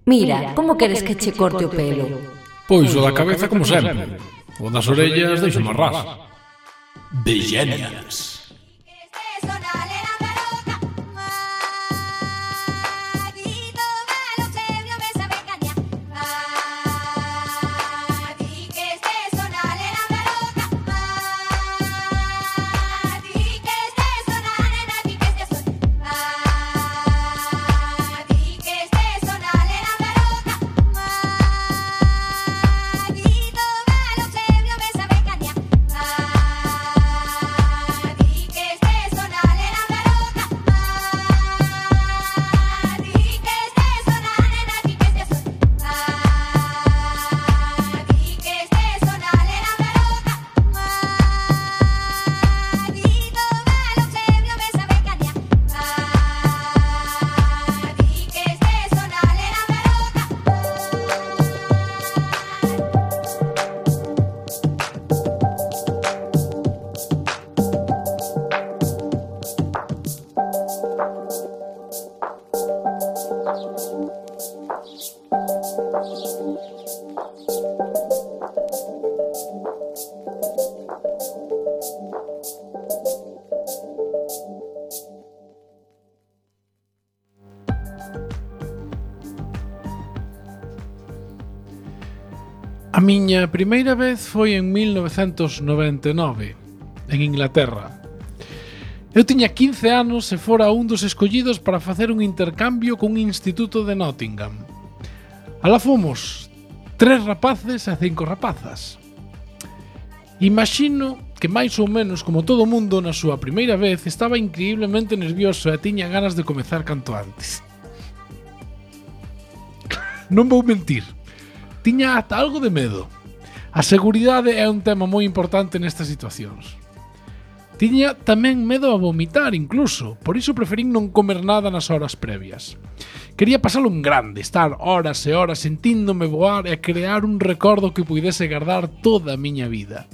Mira, como queres que che corte o pelo? Pois o da cabeza como sempre. O das orellas deixo máis ras. The Genials. A miña primeira vez foi en 1999, en Inglaterra. Eu tiña 15 anos e fora un dos escollidos para facer un intercambio cun instituto de Nottingham. Alá fomos 3 rapaces e 5 rapazas. Imagino que máis ou menos como todo mundo na súa primeira vez estaba increíblemente nervioso e tiña ganas de comezar canto antes. Non vou mentir. Tiña ata algo de medo. A seguridade é un tema moi importante nestas situacións. Tiña tamén medo a vomitar incluso, por iso preferín non comer nada nas horas previas. Quería pasalo en grande, estar horas e horas sentíndome voar e crear un recordo que puidese guardar toda a miña vida.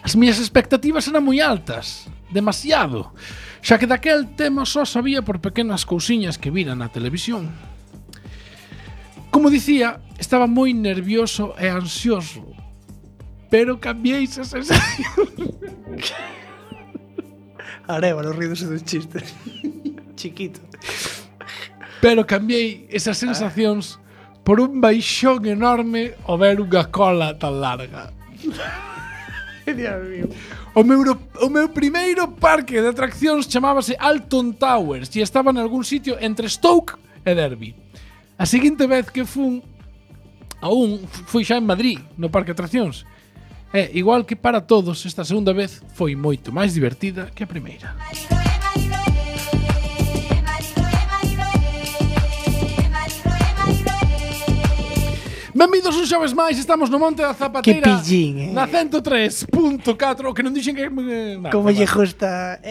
As miñas expectativas eran moi altas, demasiado, xa que daquel tema só sabía por pequenas cousiñas que vira na televisión. Como dicía, estaba moi nervioso e ansioso, pero cambiei esa sensación. Arévalo, rídose do chiste. Chiquito. Pero cambiei esas sensacións por un baixón enorme ao ver unha cola tan larga. Dios mío. O meu primeiro parque de atraccións chamábase Alton Towers e estaba en algún sitio entre Stoke e Derby. A seguinte vez que fui xa en Madrid, no parque de atraccións. E, igual que para todos, esta segunda vez foi moito máis divertida que a primeira. Benvidos un xoves máis, estamos no Monte da Zapateira. Que pillín, na 103.4, que non dixen que... Como lle gusta,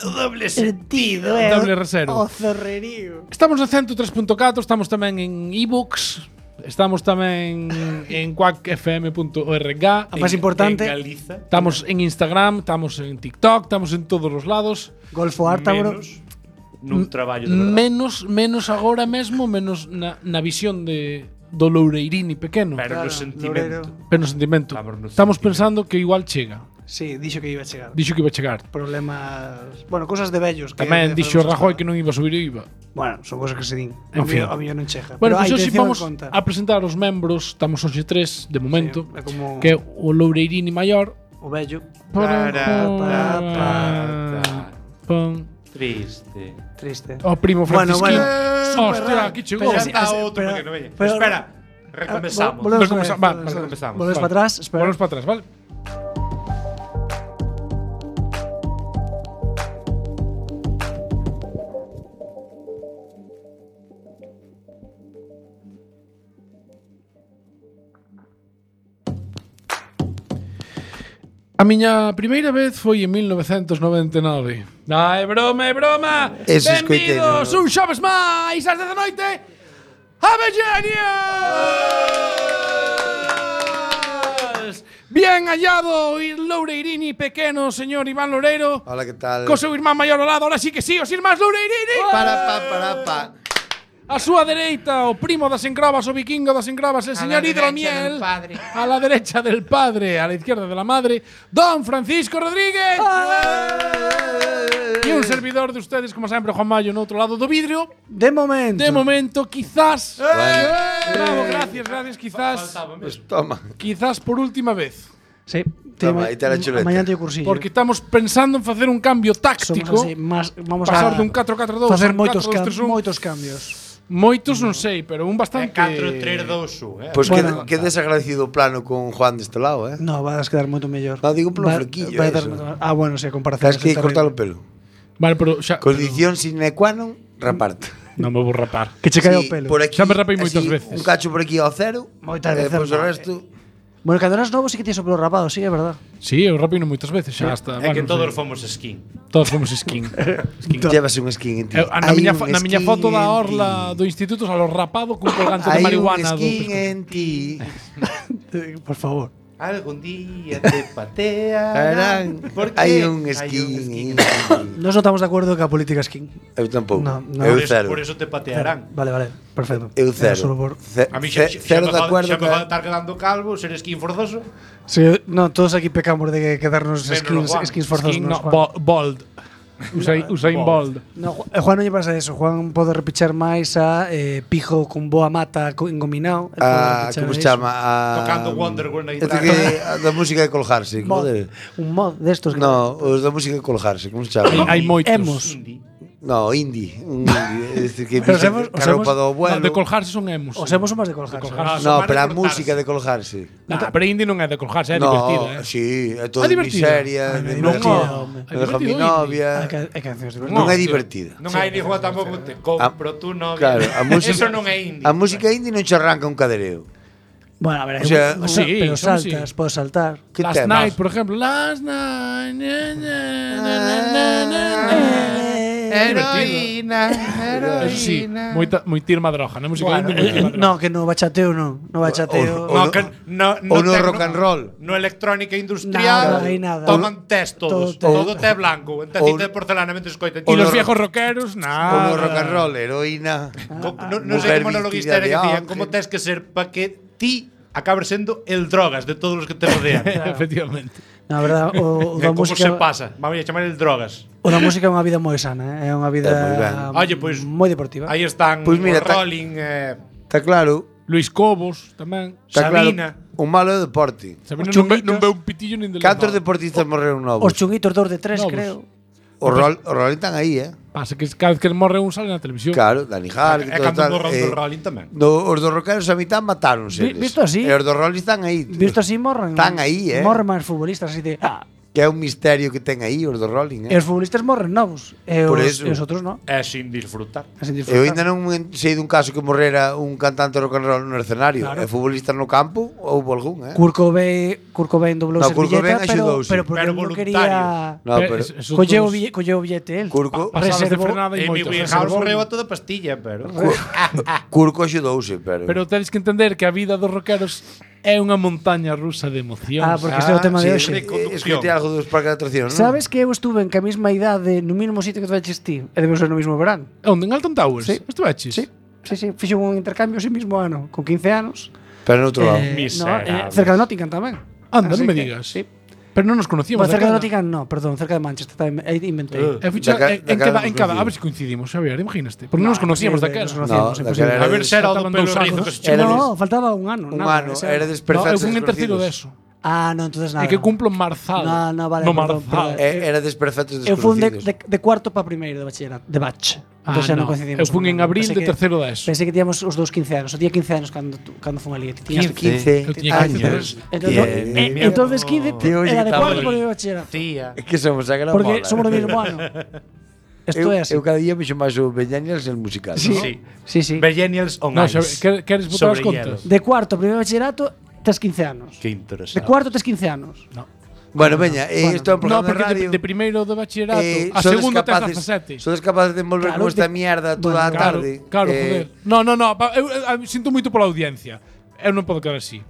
O doble sentido. Doble reserva. O zorrerío. Estamos na 103.4, estamos tamén en ebooks, estamos tamén en quackfm.org. A máis importante, En Galiza. Estamos en Instagram, estamos en TikTok, estamos en todos os lados. Golfo Ártabro. Menos nun traballo de verdade. Menos agora mesmo, menos na visión do Loureirini pequeno. Pero Claro, no sentimento. Pero no sentimento. Estamos pensando que igual chega. Sí, dixo que iba a chegar. Dixo que iba a chegar. Problemas, bueno, cosas de vellos que Tamén dixo facemos Rajoy hasta- que non iba a subir o IVA. Bueno, son cosas que se din. En fin. A mí non chega. Bueno, Pero pois hai hoxe intención vamos de conta. a presentar os membros. Estamos hoxe 3 de momento, Sí, é como que é o Loureirini maior. o vello. Pon. Triste. Triste. O primo Bueno, Francisquín. bueno. Hostia, aquí chegou. Pero Presenta así- outro pero- porque non veña. pero- Espera, recompensamos. Volvemos Recompensamos. otra vez, Vale, recompensamos. Volvemos para atrás, espera. Volvemos para atrás, vale? A miña primeira vez foi en 1999. É broma, é broma! Eso Benvidos escoitei, un xoves máis ás 10 da noite a Genials! Bien hallado o Loureirini pequeno, señor Iván Loureiro. Hola, que tal? Co seu irmán maior ao lado, ahora sí que sí, os irmáns Loureirini. Para. A súa dereita, o primo das encravas, o vikingo das encravas, el señor Hidromiel. A la derecha del padre, a la izquierda de la madre, Don Francisco Rodríguez. Y un servidor de ustedes, como sempre, Juan Mayo, no outro lado do vidrio. De momento, quizás. Bravo, gracias, quizás. Pues toma. Quizás por última vez. Sí. Toma, aí te la chuleta. Mañá teño cursillo. Porque estamos pensando en facer un cambio táctico. Somos así, vamos pasar a dun 4-4-2 facer a un 4-2-3-1. moitos cambios. Moitos non sei, pero un bastante. 4-3-2-1, Pues Bueno, que desagradecido o plano con Juan deste lado, No, vas a quedar moito mellor. No, digo polo flequillo, eso. Bueno, si a comparación. Sabes que cortar o pelo. Vale, pero xa Condición sine qua non, raparte. non me vou rapar. Que che cae o Sí, pelo. por aquí, Xa me rapei moitas así, veces. Un cacho por aquí ao cero. Moitas veces, Pois o no. resto. Bueno, cando eras novo sí que tienes o pelo rapado, sí, é verdad. Sí, eu rapino moitas veces, xa hasta. É que non todos sei. fomos skin. Todos fomos skin. Llevas un skin en ti. Na Hai miña, un na miña skin foto da en orla ti. do instituto salo rapado cun colgante de Hai un marihuana do skin pescozo. en ti. Por favor. Algún día te patearán. Porque Hai un hai skin. Nos non estamos de acordo ca política skin. Eu tampouco. No, no. Eu cero. Por eso te patearán. Vale, perfecto. Eu Era cero. solo por- A mí xa Cero de acuerdo xa me que va a estar quedando calvo, ser skin forzoso. Sí, no, todos aquí pecamos de quedarnos Menos Juan. skins forzosos. Skin, nos, no, Juan. bold. Usain Bold. No, Juan non lle pasa eso. Juan pode repichar máis a pijo con boa mata engominado. Como se chama? Tocando Wonderwall na Este guitarra. que a da música de colgarse, joder. Un mod destos. No, os da música de colgarse, como se chama? Hai moitos. Emos. No, indie. Un indie. Este que Pero pixa os caroupa do No, abuelo. de colgarse son emos. Os hemos máis de colgarse. colgarse. No, Son pero a máis de cortarse. música de colgarse. Nah, pero indie non é de colgarse, é No, divertido, eh. sí, é todo Ah, de divertido. miseria, Ah, de non, me é dejo mi divertido, novia. Hai cancións divertidas. Non é tío. divertida. Non hai ni juego tampouco te compro tu novia. Claro, a música, Eso non é indie. A música indie non che arranca un cadereo. Bueno, a ver, O sea, sí, pero son saltas, sí. podes saltar. Que Last temas? Night, por ejemplo. Last Night. Heroína, Eso sí, moi tirma droga, non música Bueno, indie, moi tirma droga. no, que no bachateo non. No bachateo. O No, no- que no, o no tecno- rock and roll. No electrónica Nada, industrial. aí nada. Toman test todos. Todo- Todo té blanco. En tacita de porcelana mentre escoitan. E O los no- viejos rockeros, O nada. no rock and roll, heroína. Non sei Mujer como no vestida logisterio de que decían, ángel. como tes que ser para que ti acabes sendo el drogas de todos os que te rodean. Efectivamente. Na verdad, o da Como se música pasa? Vamos a chamar el drogas. o da música é unha vida moi sana, é unha vida moi ben. Oye, pois, moi deportiva. Aí están Pois mira, o Rolling, Está claro. Luis Cobos tamén. Está Sabina. claro. O malo é o deporte. Sabina Os non ve un pitillo nin de Cantos lado. deportistas morreron Os novos? chunguitos 2 de 3, Novos. creo. O Rolling están aí, Pasa que cada vez que morre un sale na televisión. Claro, Dani Hart, E cando morra o Rolling tamén. Os dos rockeros a mitad matáronse. Visto así? E os dos Rolling están aí. Visto así morran. Están aí, Morren máis futbolistas así de Que é un misterio que ten aí os dos Rolling, E os futbolistas morren novos. E Por os, eso. e os outros non. É sin disfrutar. Así Eu ainda non sei dun caso que morrera un cantante rock and roll no escenario. Claro. E futbolista no campo, houve algún, Kurt Cobain doblou No, servilleta, Kurt Cobain pero, axudouse. pero porque Pero non voluntario. quería... No, pero Colleu o billete el. Kurko, Pasadas de Reservou- frenada e Amy moitos. Winehouse morreu a toda pastilla, pero... Kurko axudouse, pero Tedes que entender que a vida dos rockeros é unha montaña rusa de emocións. Porque este é o tema de hoxe. Escoitei algo dos parques de atracción, non? Sabes que eu estuve en que a mesma idade no mesmo sitio que tu veches ti e debemos ser no mesmo verán? Onde? En Alton Towers? Sí. Estuveches? Sí, fixo un intercambio ese mismo ano, con 15 anos. Pero no outro lado. Miserable. cerca de Nottingham tamén. Anda, Así non me que, digas. Sí. Pero non nos conocíamos. Bueno, cerca de daquela. Nottingham no, perdón, cerca de Manchester, aí inventei. En cada, a ver se coincidimos, Xavier, imaginaste. Porque non nos conocíamos daquela. No, daquela era A ver se era o do Faltaban pelo 2 rizo anos. que se Era chamaba. No, faltaba un ano. Un nada, ano, ese era No, desperfectos eu fui en terceiro desconocidos. deso. No, entonces nada. É que cumplo en Marzal. No, vale, No perdón, Marzal. perdón. Era desperfectos Eu fui desconocidos. de cuarto para primeiro de bachillerato, de batch. Entón xa non coincidimos. Eu fui en abril de terceiro deso. Pensei que tíamos os dous 15 anos. O día 15 anos cando fun ali. 15 Eu tiña 15 años. Entonces 15 Tío, oye, era de que cuarto estaba para o bachillerato. Tía. É que somos a gran Porque bola. somos do mesmo ano. Isto é así. Eu cada día vexo máis o Beñaniels el musical. Sí. ¿no? Sí. Millennials on No, ice. Xavier, queres botar as Sobre contas? hielo. De cuarto a primeiro bachillerato tes 15 anos. Que De interesante. cuarto tes 15 anos. Bueno, veña, isto é un No, programa de porque radio. de primeiro de bachillerato a sodes segundo tes capaces- 17. Sodes capaces de envolver Claro, con esta de- mierda toda a Claro, tarde. claro, joder. No, eu sinto moito pola audiencia. Eu non podo quedar así.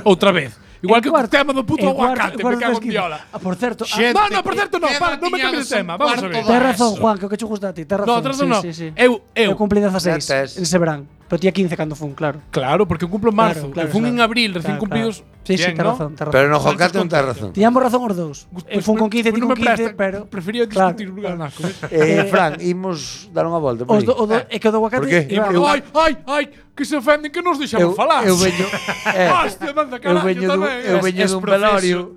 Outra vez. Igual que o tema do puto aguacate, me cago en 15. viola. Por certo, Xente, No, por certo, no, queda non me cambies de tiñados tema, un vamos a cuarto ver. da Tens razón, ESO. Juan, que o que che gusta a ti, tens razón. No, tens razón, no. Sí. Eu Eu cumpli 16 Ya tes. ese verán. Pero tía 15 cando fun, claro. Claro, porque eu cumplo en marzo. Claro, eu fun claro. en abril, recién Claro, cumplidos. Sí, Bien, tens ¿no? razón, tens razón. Pero no, Jocate non tens razón. Tiñamos razón os dous. Eu fun con 15 e ti non con me 15, presta, pero prefería claro, discutir un ganaco. Fran, imos dar unha volta por Os aí. é que o do aguacate Por qué? Iván, Ai, que se ofenden que nos deixamos falar. Eu veño, Hostia, manda carallo tamén. eu veño Es dun profeso.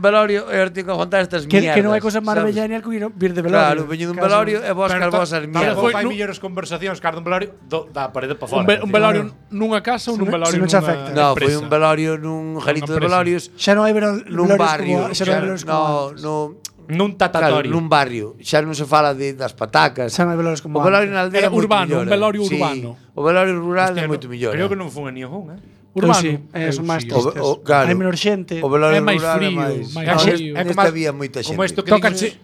velorio e ahora teño que aguantar estas que mierdas. non hai cosa máis sabes? bella que vir de velorio. Claro, veño dun velorio e vos Pero calvosas tampouco mierdas. hai nu- millores conversacións que dun velorio da parede para fora. Un velorio nunha casa ou nun velorio se non che nunha afecta. No, foi empresa? un velorio nun jarito de empresa. velorios Xa non hai nun velorios barrio. como, xa non hai velorios como antes. Nun Claro, tatatorio. nun barrio. Xa non se fala das patacas. Xa non hai velorios como O velorio antes. na aldea é Era moito urbano, mellor, un velorio sí. urbano. O velorio rural é Hostia, moito mellor. Creo que non fun a ningún, Eu Urbano. sí, son máis sí. tristes. claro. Hai menor xente. O velorio É máis rural frío, é máis. máis No, frío. neste había moita xente. Como isto que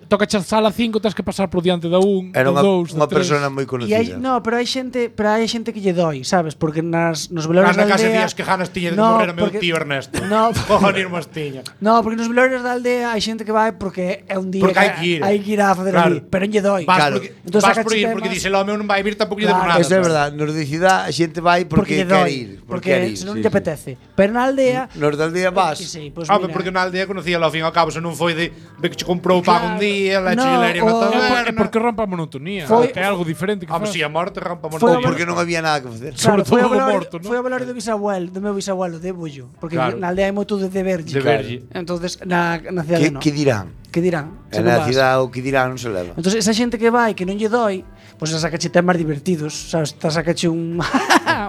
Tocache a sala 5, tens que pasar por diante da 1, Era da 2, unha da 3. persona moi E hai, conocida. no, pero hai xente que lle doi, sabes? Porque nos velorios Na da casa aldea días que ganas tiña de No, morrer a meu porque- tío Ernesto. No. Cojones mas tiña. No, porque nos velorios da aldea hai xente que vai porque é un día Porque hai que ir. a facer Claro. ali, pero non lle doi. Vas Claro. porque Entón vas saca por ir temas. porque dice el home non vai vir tampouco lle Claro. debo nada. Eso é verdade, nos de cidade a xente vai porque lle quer doi, ir, porque se non lle apetece. Pero na aldea Nos da aldea vas. sí, pues Home, mira, porque na aldea conocía ao fin e ao cabo, se non foi de que che comprou o pan un día, leche No, e leria na o- taberna. É porque rompa a monotonía. Foi- Que é algo diferente que Home, faz. si a morte rampa a Foi morte. Porque non había nada que facer. claro, sobre foi todo o velorio, morto, ¿no? foi o velorio do meu bisabuelo de Bullo, porque Claro. na aldea hai moito de verlle. De verlle. Entonces na cidade non. Que dirán? Que dirán? En a cidade o que dirán non se leva. Entonces esa xente que vai que non lle doi, pois pues sacache temas divertidos, sabes? Sacache un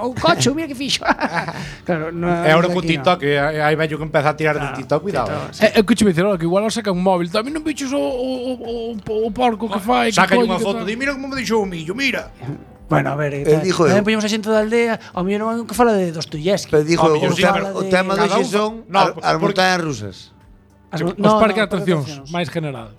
un coche, mira que fixo. Claro, no. E agora co TikTok, hai vello que empeza a tirar de TikTok, cuidado. É que che me dicen, que igual saca un móvil. Tamén non bichos o porco que fai. que Saca colle, unha que foto tal. de mira como me deixou o millo, mira. Bueno, a ver, dijo eu. tamén poñemos a xente da aldea, ao mellor non é que fala de Dostoyevsky. Pero dijo, Home, o, sí, tema, pero o tema do cada un son no, as porque- montañas rusas. As- Os no, parques de no, atraccións, máis general.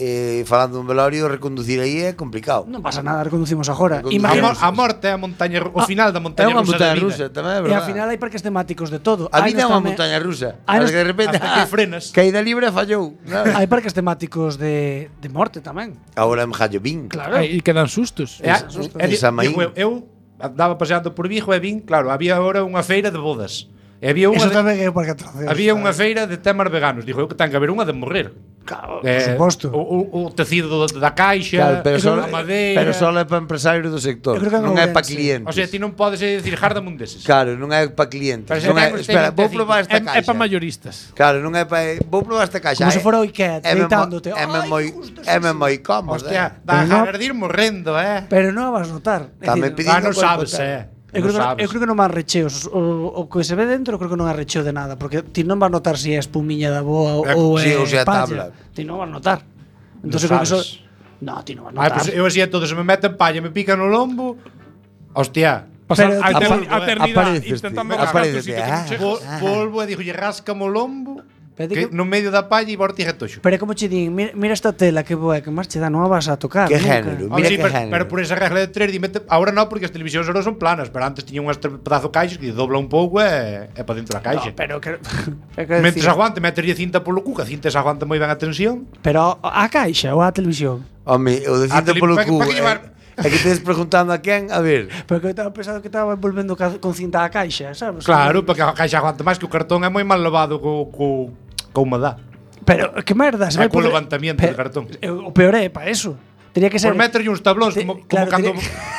Falando dun velorio, reconducir aí é complicado. Non pasa nada, reconducimos agora. Reconducimos. Imagina, A morte é a montaña, o final da É montaña unha rusa da montaña vida. rusa, tamén é e verdade. ao final hai parques temáticos de todo. A Hai vida é nos unha tamén- montaña rusa. Hai Hasta nos- que de repente hasta que frenas. caída libre e fallou. Hai parques temáticos de morte tamén. Agora en Jallobín. Claro. E quedan sustos. Samaín. Eu andaba paseando por Vigo e vin, claro, había agora unha feira de bodas. E había unha Eso de, tamén é un parque de atraccións. había unha feira de temas veganos. Dijo eu que ten que haber unha de morrer. Claro, por suposto. O tecido da Claro, caixa, pero só a madeira. pero só é para empresarios do sector. Eu creo que Non é en para Ourense. clientes. O sea, ti non podes decir jardamun deses. Claro, non é para clientes. Pero se Non é, ten espera, vou tecido. probar esta É caixa. para mayoristas. Claro, non é para vou probar esta caixa. Como se fora o Ikea, deitándote. É Ai, moi justo, é sí, moi cómodo. Hostia, Pero dá no- ganas de ir morrendo, Pero non a vas notar. É Tamén dicir, pedindo non cuerpo sabes, tal. Eu creo, Non sabes. eu creo que non van recheos. O que se ve dentro creo que non é recheo de nada, porque ti non vas notar se é espumiña da boa ou Sí, é ou se é palla. tabla. Ti non vas notar. Entón Non creo que sabes. No, ti non vas Ai, notar. pues eu así é todo, se me meten palla, me pican no lombo. Hostia. Pasar Pero a tipo- eternidade Aparéceste, intentando aparécete, rascar Volvo e dixo, lle rascamo o lombo. Pero Que que- no medio da palla e vortiga toxo. Pero é como che din, mira esta tela que boa, que máis che dá, non a vas a tocar. Que nunca. género. Home, Mira sí, que pero, género. pero por esa regla de 3 ahora non, porque as televisións ahora son planas, pero antes tiñan unhas pedazo caixas que dobla un pouco e para dentro da caixa. No, pero que, é que Mentres decir, aguante, meterlle cinta polo cu, que a cinta se aguanta moi ben a tensión. pero a caixa ou a televisión. Home, o de cinta tele- polo pa- cu. pa que llevar- É que tedes preguntando a quen, a ver. Pero que eu estaba pensando que estaba envolvendo con cinta a caixa, sabes? Claro, porque a caixa aguanta máis que o cartón é moi mal lavado co humedad. Pero que merda, se É vai co poder- levantamiento Pe- de cartón. O peor é para eso. Tería que ser Por meterlle uns tablóns como cando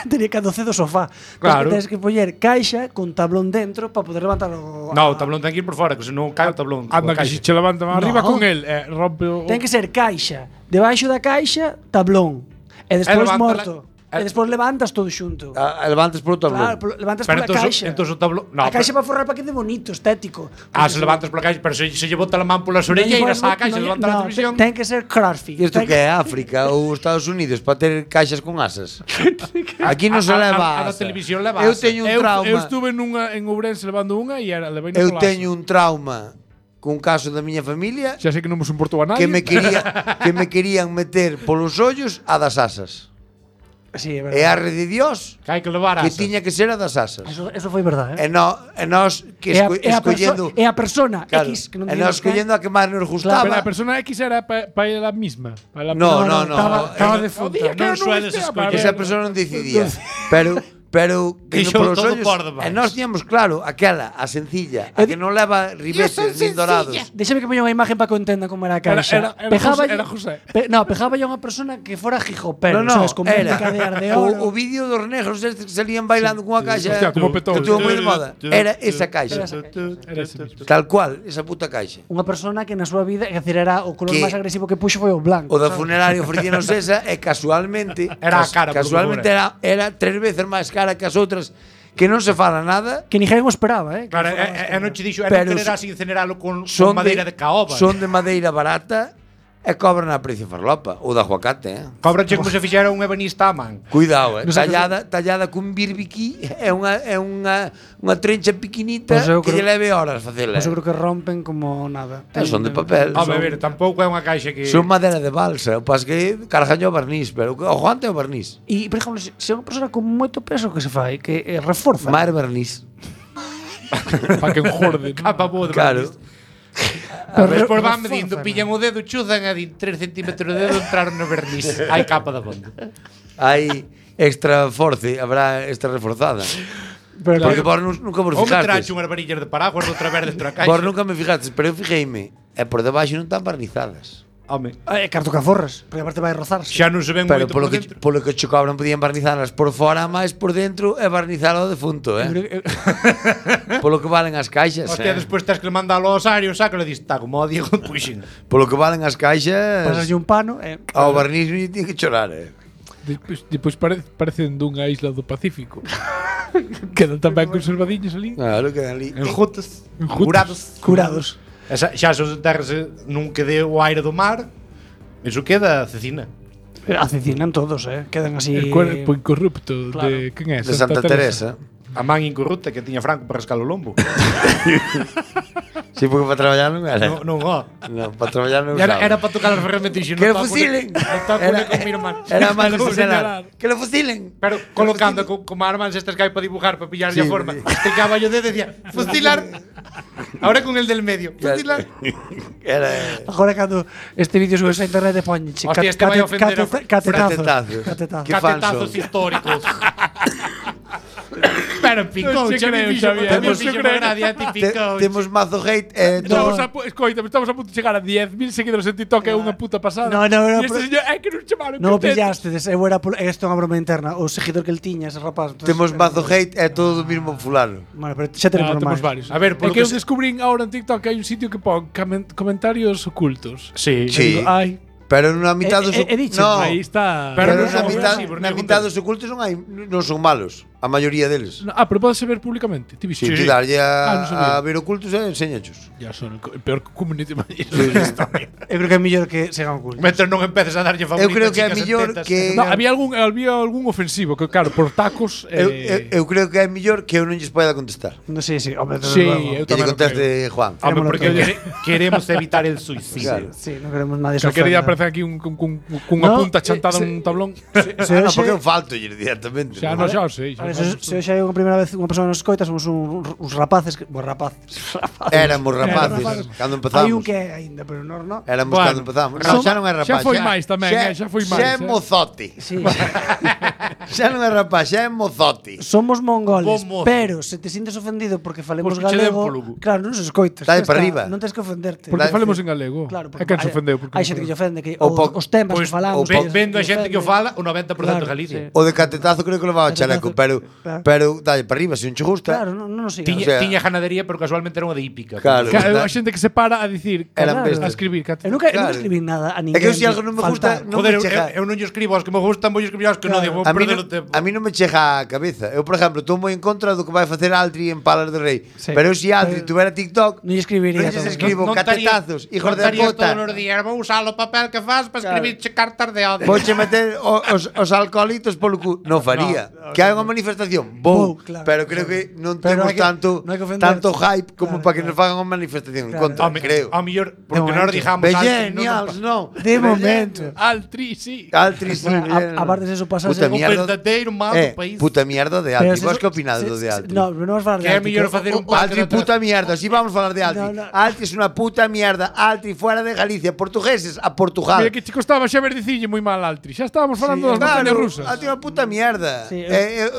tería que adoce do sofá. Claro. Tens que poñer caixa con tablón dentro para poder levantar o No, o tablón ten que ir por fora, que senón cae o tablón. Anda, que coa se caixa. che levanta máis arriba No. con el, rompe o... Ten que ser caixa, debaixo da caixa, tablón. E despois levántala- morto. E despois levantas todo xunto. Levantes por o tablón. Claro, levantas Pero pola caixa. entonces o tablón... No, a caixa pero- para forrar para que de bonito, estético. se levantas pola caixa, pero se lle bota a man polas orelleiras á caixa, levanta a televisión. Ten que ser crossfit. Isto Ten que é África ou Estados Unidos para ter caixas con asas. Aquí non se leva A da asa. televisión leva Eu asa. teño un Eu trauma. estuve en Ourense levando unha e era levei Eu teño un trauma cun caso da miña familia Xa sei que non me importou a nadie. que me querían meter polos ollos a das asas. Sí, é E a verdade. rede de Dios Que hai que levar que asas. tiña que ser a das asas. Eso foi verdade, E nós que escollendo é a persona claro, X que non e nós escollendo a que máis nos Pero gustaba. a persona X era para ela misma. Pa ela No, misma. Estaba defunta. Non sueles escoller. Esa persona non decidía. Pero que Quixo polos todo ollos, por demais. e nós tiñamos claro aquela, a sencilla, a que non leva ribetes nin dorados. Déxame que poña unha imagen para que entenda como era a caixa. Era José. No, pejaba yo a unha persona que fora jijopero, No, sabes, con era cadeas de oro. o vídeo dos negros estes que salían bailando cunha caixa Hostia, como petou. que tuvo moi de moda. Era esa caixa. Era ese mismo. Tal cual, esa puta caixa. Unha persona que na súa vida, é dicir, era o color Que- máis agresivo que puxo foi o blanco. O da sabes? funeraria ofrecíanos esa e casualmente Era a cara, polo casualmente que era 3 veces máis cara que as outras que non se fala nada. Que ninguén o esperaba, que Claro, fora e non che dixo, e Pero non quererás incineralo con Son madeira de caoba. Son de madeira barata e cobran a precio farlopa ou de aguacate, Cobrache como se fixera un ebanista a man. Cuidado, Non sei tallada cun birbiquí é unha trencha pequinita Pois eu que lle creo- leve horas facela. Pois eu creo que rompen como nada. Son de papel. Home, a ver, tampouco é unha caixa que... Son madeira de balsa, o pas que cargaño o barniz, pero o guante é o barniz. E, por exemplo, se é unha persona con moito peso que se fai, que reforza. Mar barniz. Para que enjorde. Capa boa de Claro. A ver, despois van reforza, medindo, ¿no? pillan o dedo, chuzan e din 3 centímetros de dedo entraron no verniz. Hai capa da bondo. Hai extra force, habrá extra reforzada. Pero, Porque vos nunca vos Ou me trache fijastes. unhas varillas de paraguas outra vez dentro da caixa. Vos nunca me fijastes, pero eu fijeime. E por debaixo non están barnizadas. Home, É carto que aforras, porque aparte vai rozarse. xa non se ven Pero moito por polo dentro. que che cobran podían barnizalas por fora, máis por dentro e barnizalo ao defunto, Polo que valen as caixas, Hostia, despois tens que mandalo ao osario, sácalo e dis, está como o Diego puxen. Polo que valen as caixas, Pasaslle un pano e ao barniz non lle tiene que chorar, Depois parecen dunha isla do Pacífico. Quedan tamén conservadiños ali. Claro, quedan ali. Enjutes, Enjutes. curados. curados. Xa se os enterrase nun que dé o aire do mar, iso queda cecina. Acecinan todos, quedan así. El cuerpo incorrupto Claro. de quen é? De Santa Teresa. A man incorrupta que tiña Franco para rascar o lombo. Sí, porque para traballar non era. non, ó. Non, para traballar non Era, usaba. era para tocar as ferramentas e Que lo fusilen. Non toco con mi irmán. Era máis de Como señalar. señalar. Que lo fusilen. Pero colocando como armas estas que hai para dibujar, para pillar Sí, a forma. sí. Este caballo de decía, fusilar. Ahora con el del medio, fusilar. Era Agora cando este vídeo subes a internet poñeche Hostia, este vai a ofender a catetazos. Catetazos. Catetazos. Que Catetazos falso. históricos. Pero picou, Non che xa me creo, fixo, Xavier, tamén non che fixo creo. gracia, ti picou. Temos mazo hate Estamos a punto de chegar a 10.000 seguidores en TikTok, é unha puta pasada. No, E este señor, é que non chamaron. Non o pillastedes, eu era isto é unha broma interna, o seguidor que el tiña, ese rapaz. entonces, Temos mazo hate e todo do mismo fulano. Bueno, pero xa tenemos Temos normais. varios. A ver, é polo que que eu se- descubrín ahora en TikTok que hai un sitio que pon comentarios ocultos. Sí. Sí. Digo, ai, Pero na mitad dos dicho, no, aí está. Pero pero non son na mitad dos ocultos non son malos, a maioría deles. Pero pode ver públicamente. Ti Si viste? ti darlle non sabía. a ver ocultos e enseñachos. Ya son el peor community manager da historia. Eu creo que é mellor que segan ocultos. Mentre non empeces a darlle favorito Eu creo que é chicas en mellor tetas. que- No, había algún ofensivo que claro, por tacos Eu creo que é mellor que eu non lles poida contestar. No, sí, hombre, desde Sí, luego. eu Que lle tamén o conteste Juan. Home, Queremos porque lo queremos evitar el suicidio. Claro. Sí, non queremos nadie Calquer día sofrendo. aparece aquí cunha No, punta chantada se- nun tablón. Se No, hoxe- porque eu falto directamente. Xa non xa o sei. Vale, se hoxe hai unha primeira vez unha persona nos escoita, somos uns rapaces, Éramos rapaces rapaces. cando Hai un empezamos. que é aínda, pero nós non. Éramos Bueno, cando empezamos. No, xa non é rapaz. xa foi máis tamén, xa foi máis, Xa é mozote. Sí. Xa non é rapaz, xa é mozote. Somos mongoles, Como? pero se te sintes ofendido porque falemos Pois que che den galego, polo cu. claro, non se escoitas. Dale xa para está, arriba. Non tens que ofenderte. Porque Dale, falemos en galego. Claro, É quen se ofendeu porque hai xente que lle ofende que O os temas Pois que falamos, vendo a xente que o fala, o 90% de Galicia. O de catetazo creo que lo va ao chaleco, pero Claro. pero dalle para arriba, se non che gusta. Claro, non sigas. Tiña, O sea- tiña ganadería, pero casualmente era unha de hípica. Claro. A xente que se para a dicir, Eran a bestas. escribir. Eu nunca Claro. escribí nada a É ninguén. que eu se algo non me gusta, faltar. non Joder, me chega. eu non lle escribo aos que me gustan, vou escribir aos que non digo, A mí, perder non, o tempo. a mí non me chega a cabeza. Eu, por exemplo, estou moi en contra do que vai facer Altri en Palas de Rei. Sí. Pero se Altri Pero- tuvera TikTok, Non lle escribiría. non lles todo. escribo catetazos, hijos de estarías puta. todos os días, vou usar o papel que faz para escribirche cartas de odio. Vouche meter os alcoholitos polo cu. Non faría. Que hai unha manifestación, vou, Claro, pero creo que non Pero temos hai que- tanto non hai que ofender. tanto hype como Claro, para que claro. nos fagan unha manifestación en Claro. contra, creo. Ao mellor, porque momento. nós digamos Altri, Genials, non. De momento. Altri, sí. Altri, sí. Bueno, aparte de eso pasase Puta o mierda. verdadeiro mal do país. Puta mierda de Pero Altri. se Vos eso- que opinades do de Altri? No, non vamos falar de Que é Altri, mellor facer un pacto Altri, de puta mierda. Si vamos a falar de Altri. No, no. Altri es una puta mierda. Altri fuera de Galicia. Portugueses a Portugal. Mira que che costaba xa ver dicille moi mal Altri. Xa estábamos falando das montañas Claro, rusas. Altri é unha puta mierda. Sí,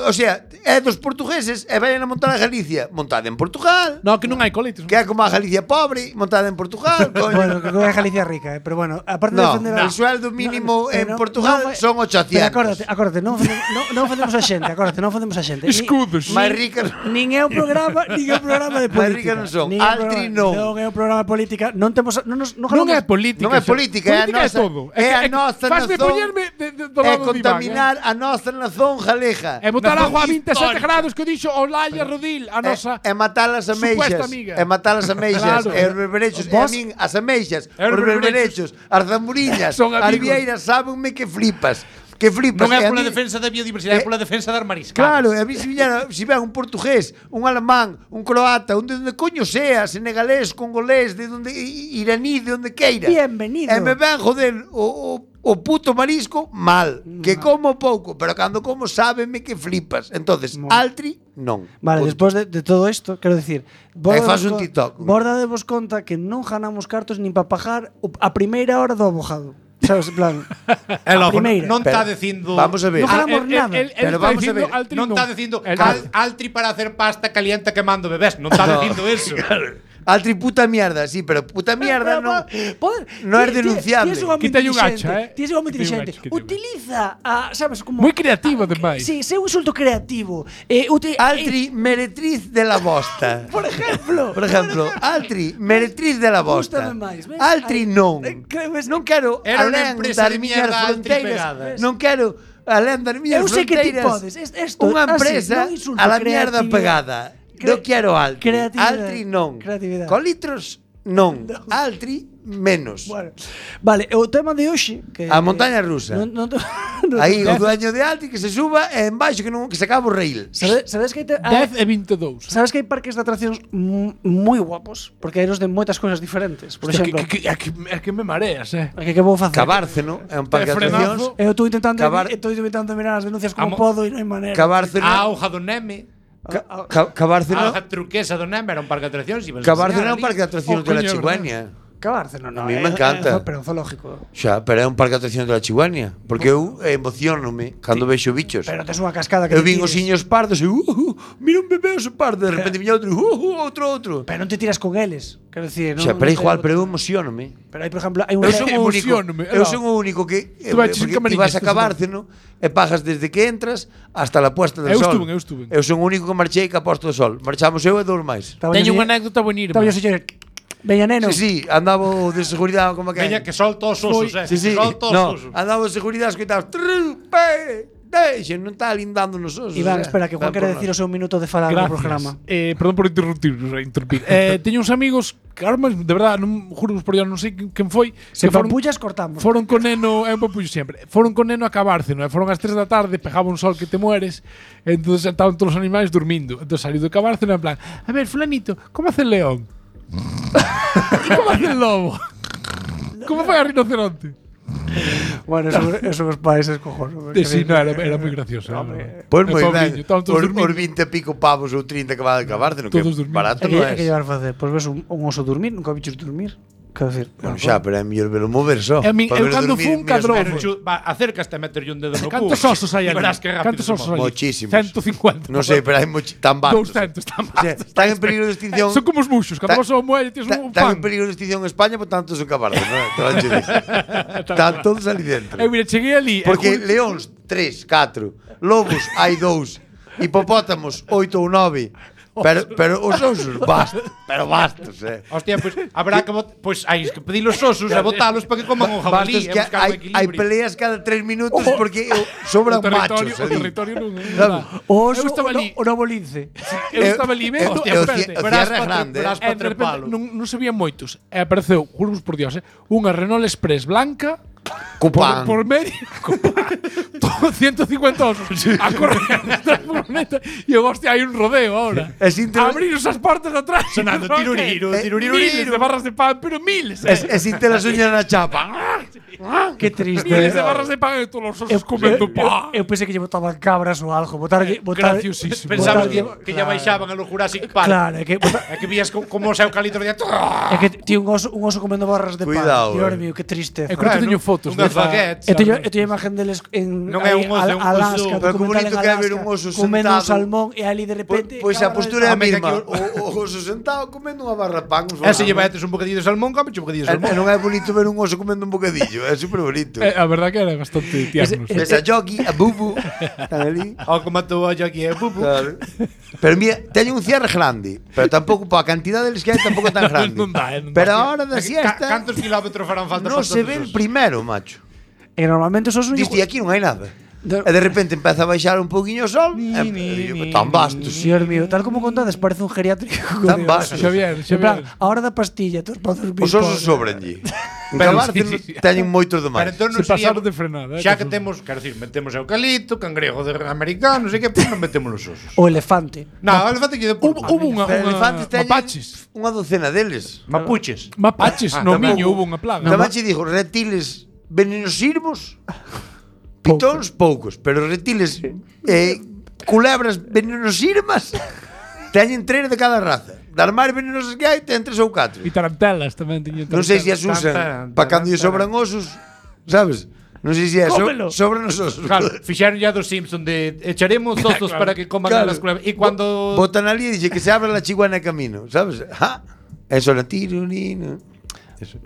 O sea, é dos portugueses e vayan a montar a Galicia. Montada en Portugal. No, que non hai coletes. Que é como a Galicia pobre, montada en Portugal. Coño. Bueno, que é Galicia rica, pero bueno, aparte de No, defender el sueldo mínimo en Portugal son 800. Pero acórdate, non facemos a xente, non facemos a xente. Escudos. Máis rica. Nin é un programa de Máis política. rica non son. Nin é un Altri programa- non. Non é un programa de política, non temos non Non é política. Non é política, é a política nosa- todo. é a nosa Fasme nazón. poñerme do É lado do Iván, contaminar a nosa nazón galega. E botar Nazón agua a 27 histórica. grados que dixo Olaya Rodil, a nosa E matar as ameixas. supuesta amiga. E matar as ameixas. Claro. E os berberechos. E a Vos- min, as ameixas, E os os berberechos, as zamburiñas, Son as amigos. vieiras, sábenme que flipas. Que flipas. Non é E a pola min- defensa da biodiversidade, é pola defensa das mariscadas. Claro, e a mí se ven un portugués, un alemán, un croata, un de onde coño sea, senegalés, congolés, de donde iraní, de onde queira. Bienvenido. E me ven joder o puto marisco mal, que como pouco, pero cando como sábeme que flipas. Entonces, Altri non. Vale, Punto. despois de todo isto, quero dicir, fas un TikTok. Bordadevos conta que non ganamos cartos nin para pagar a primeira hora do abogado. Sabes, en plan, E a logo, primeira. non Pero, está dicindo Vamos a ver. No ganamos nada. Pero vamos a ver, non está dicindo El- Altri para hacer pasta caliente quemando bebés, non está dicindo eso. Altri puta mierda, sí, pero puta mierda non. No es denunciable. Quítalle un hacha, Tienes un Quítalle un inteligente. hacha, quítalle un hacha. Utiliza a, sabes, como Moi creativo, ademais. Sí, sei un insulto creativo. Altri meretriz de la bosta. Por ejemplo. Por exemplo, Altri meretriz de la bosta. Gústame máis, ves? Altri Ai, non. crees- Non quero Era unha alén empresa das de miñas mierda Altri fronteiras. pegada. Non quero alén das miñas Eu sei que ti fronteiras. podes. Esto, Unha así, empresa non insulto, a la mierda creatividade. pegada. Non quero Altri. Creatividade. Altri non. Creatividade. Colitros non. Altri menos. Bueno, vale, o tema de hoxe que A montaña rusa. Aí o dueño de Altri que se suba e en baixo que se acaba o rail. Sabes que hai 10 e 22. Sabes que hai parques de atraccións moi guapos, porque hai os de moitas cousas diferentes. Por Hostia, exemplo, que me mareas, que vou facer? Cabárceno é un parque de frenazo. atraccións. Eu estou intentando Cabar- mirar as denuncias como Amo- podo e non hai maneira. Cabárceno. A auga do Neme, Ah, a Cabárceno. auga turquesa do Neme era un parque de atraccións. Cabárceno é un parque de atraccións Oh, de la coño, Chigüeña. Cabárceno, non. A mí me encanta. Pero un zoológico. Xa, pero é un parque de atraccións de la Chigüeña. Porque eu emocionome cando vexo bichos. Pero tes unha cascada que Eu te vin os tires. siños pardos e mira un bebé oso pardo, de repente viña outro, outro. Pero non te tiras con eles. Quero dicir, non. Xa, pero é non te- igual, pero eu emocionome. Pero hai, por exemplo, hai un Eu son o único, Emociónome, eu no. son o único que Tú vas en porque ti camarillas, vas a tú Cabárceno e pagas desde que entras hasta la puesta del Eu sol. estuve. Eu son o único que marchei que a posta do sol. Marchamos eu e dous máis. Teño unha anécdota buenirma. Estaba yo señor. Veña neno. Sí, sí, andaba o de seguridade como que. Veña que solta os osos, Sí, sí. que solta os No, osos. andaba o de seguridade escoitaba trupe, deixe, non está lindando nos osos. Iván, espera, que Juan quere decir o seu minuto de falar no Gracias. programa. Perdón por interrumpir. Teño uns amigos que ahora mesmo, de verdad, non juro por Dios, non sei quen foi. Se que foron- pampullas, cortamos. Foron con neno, é un papullo sempre. Foron con neno a Cabárceno, e foron ás 3 da tarde, pegaba un sol que te mueres, e entonces estaban todos os animais dormindo. Entonces saliu do Cabárceno en plan, a ver, fulanito, como hace el león? E como hace el lobo? Como fai a rinoceronte? Bueno, eso os pais es cojones. Sí, no, era moi gracioso. Pois moi pobriño, ben. estaban todos Os dormindo. 20 e pico pavos ou 30 que va de Cabárceno, que Todos dormindo. barato É que, non é que é. llevar a facer? Pois ves un oso dormir, nunca bichos dormir. Quero decir, Bueno, xa, pero é mellor velo mover só. E a min- Para eu velo cando dormir, fun mira, cadrón. Pero acércaste a meterlle un dedo no cu. Cantos osos hai E ali? verás que rápido Cantos se osos move. hai? Mochísimos. 150. Non sei, pero hai tan bastos. 200, tan O sea, bastos. están en peligro de extinción. Son como os muxos, cando Ta- vas ao muelle tens un Están pan. en peligro de extinción en España, por tanto son Cabárceno, non? Te van a decir. Están todos ali dentro. Eu mira, cheguei ali. Porque leóns 3, 4, lobos hai 2, hipopótamos 8 ou 9. Pero os osos bastos, pero bastos, Hostia, pois habrá que pois hai que pedir os osos e botalos para que coman un jabalí Bastos e que buscar o hai equilibrio. peleas cada 3 minutos porque sobran o machos territorio, o ali. territorio non. Sabes? o oso Eu estaba ali. o novo lince. Eu estaba ali vendo, eu- espérate. o Verás cierre é pa- grande, verás E de repente non sabían moitos. E apareceu, juramos por Dios, unha Renault Express blanca Cupán. Por medio, todo 150 osos a correr detrás da furgoneta e eu, hostia, hai un rodeo ahora. Abriros as portas atrás Sonando tiruriru, miles de barras de pan, pero miles. E sin ter as uñas na chapa. Que triste. Miles de barras de pan e todos os osos comendo pan. Eu pensei que lle botaban cabras ou algo. Graciosísimo. Pensabas que ya baixaban a lo Jurassic Park. Claro, é que É que vías como os eucaliptos de é que ti un oso comendo barras de pan. Cuidado, Dios mío, que triste. Eu creo que teño fotos. Unhas baguettes. Eu teño a imagen deles en Non é un oso, é un Alaska, oso. Pero que documental bonito en que é ver Alaska, un oso comendo un sentado. salmón e ali de repente Pois a postura é a Home, que mesma. aquí O oso sentado comendo unha barra de pan. E se lle metes un bocadillo de salmón, comeche un bocadillo de E salmón. non é bonito ver un oso comendo un bocadillo. É super bonito. A verdad que era bastante tiernos. Ves a Yogi, a Bubu. Están ali. O como matou a aquí é pupu. Claro. Pero mira, teño un cierre grande. Pero tampouco, para a cantidad deles que hai, tampouco tan grande. Non dá, non dá. Pero a hora da siesta Cantos kilómetros farán falta non para se todos ve os el osos? primero, macho. E normalmente os osos Diste, aquí non hai nada. E de repente empeza a baixar un pouquiño o sol. Tan bastos. Dios mío, tal como contades, parece un geriátrico. Tan bastos. Xavier, En plan, Xavier. a hora da pastilla, todos para dormir. Os osos sobrenlle. En Pero Cabarte sí. teñen moitos de Pero máis. entón Se non sería pasaron de frenada, Xa que que son- temos, quero dicir, metemos eucalipto, cangrejo de americano, non sei que, pues non metemos os osos. O elefante. No, o elefante que de Hubo unha Pero elefantes teñen mapaches. unha docena deles. mapuches. Mapaches, Ah, no tamén. miño hubo unha plaga. Tamén che digo, reptiles venenosirmos, pitóns poucos, pero reptiles culebras venenosirmas teñen 3 de cada raza. Das máis venenosas que hai, ten 3 ou 4. E tarantelas tamén tiñen. Non sei se as usan para cando lle sobran osos, sabes? Non sei se é Cómelo. sobran os osos. Claro, fixeron ya dos Simpson de echaremos osos para que coman Claro. las culebras. E cuando Botan ali e dixe que se abra la chiguana de camino, sabes? Ja, eso era tirurino.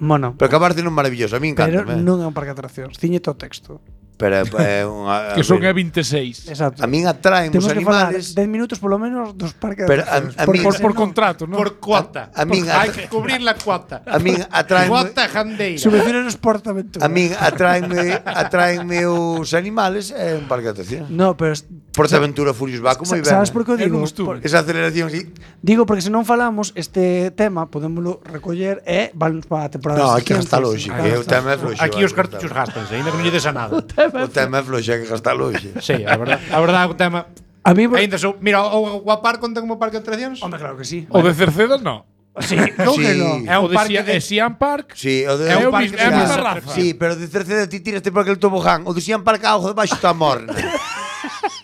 Mono. Pero Cabarte non maravilloso, a mí Pero encanta. non é un parque de atraccións. Ciñete o texto. Pero é unha Que son E26. Exacto. a min atraen os Temos que falar animales. 10 minutos polo menos dos parques de Pero atraccións. a min- Por contrato, ¿no? por cuota. A min Hai que cubrir la cuota. A min atraen Cuota jandeira. Subvenciones Portaventura. a min atraenme os animales é un parque de atracción. No, pero Portaventura Furious va como ben. sabes por que o Eu digo? non estuve. Esa aceleración así. Digo porque se non falamos este tema podémoslo recoller e valnos para a temporada. No, hai que siguiente. gastalo hoxe, que o tema é floxe. Aquí os cartuchos gastanse, ainda que non lle des a nada. O tema é floxe, hai que gastalo hoxe. Sí, a verdade o tema. A mí, Ainda sou, mira, o Guapar conta como parque de atraccións? hombre, claro que sí. O de Cerceda, no. Sí, non que Sí. non. É O un de parque de Siam Park. Sí, o de É un o parque mis- é a de mesma atraccións. raza. Sí, pero de Cerceda ti tiraste por aquel tobogán. O de Sian Park a ojo debaixo está morna.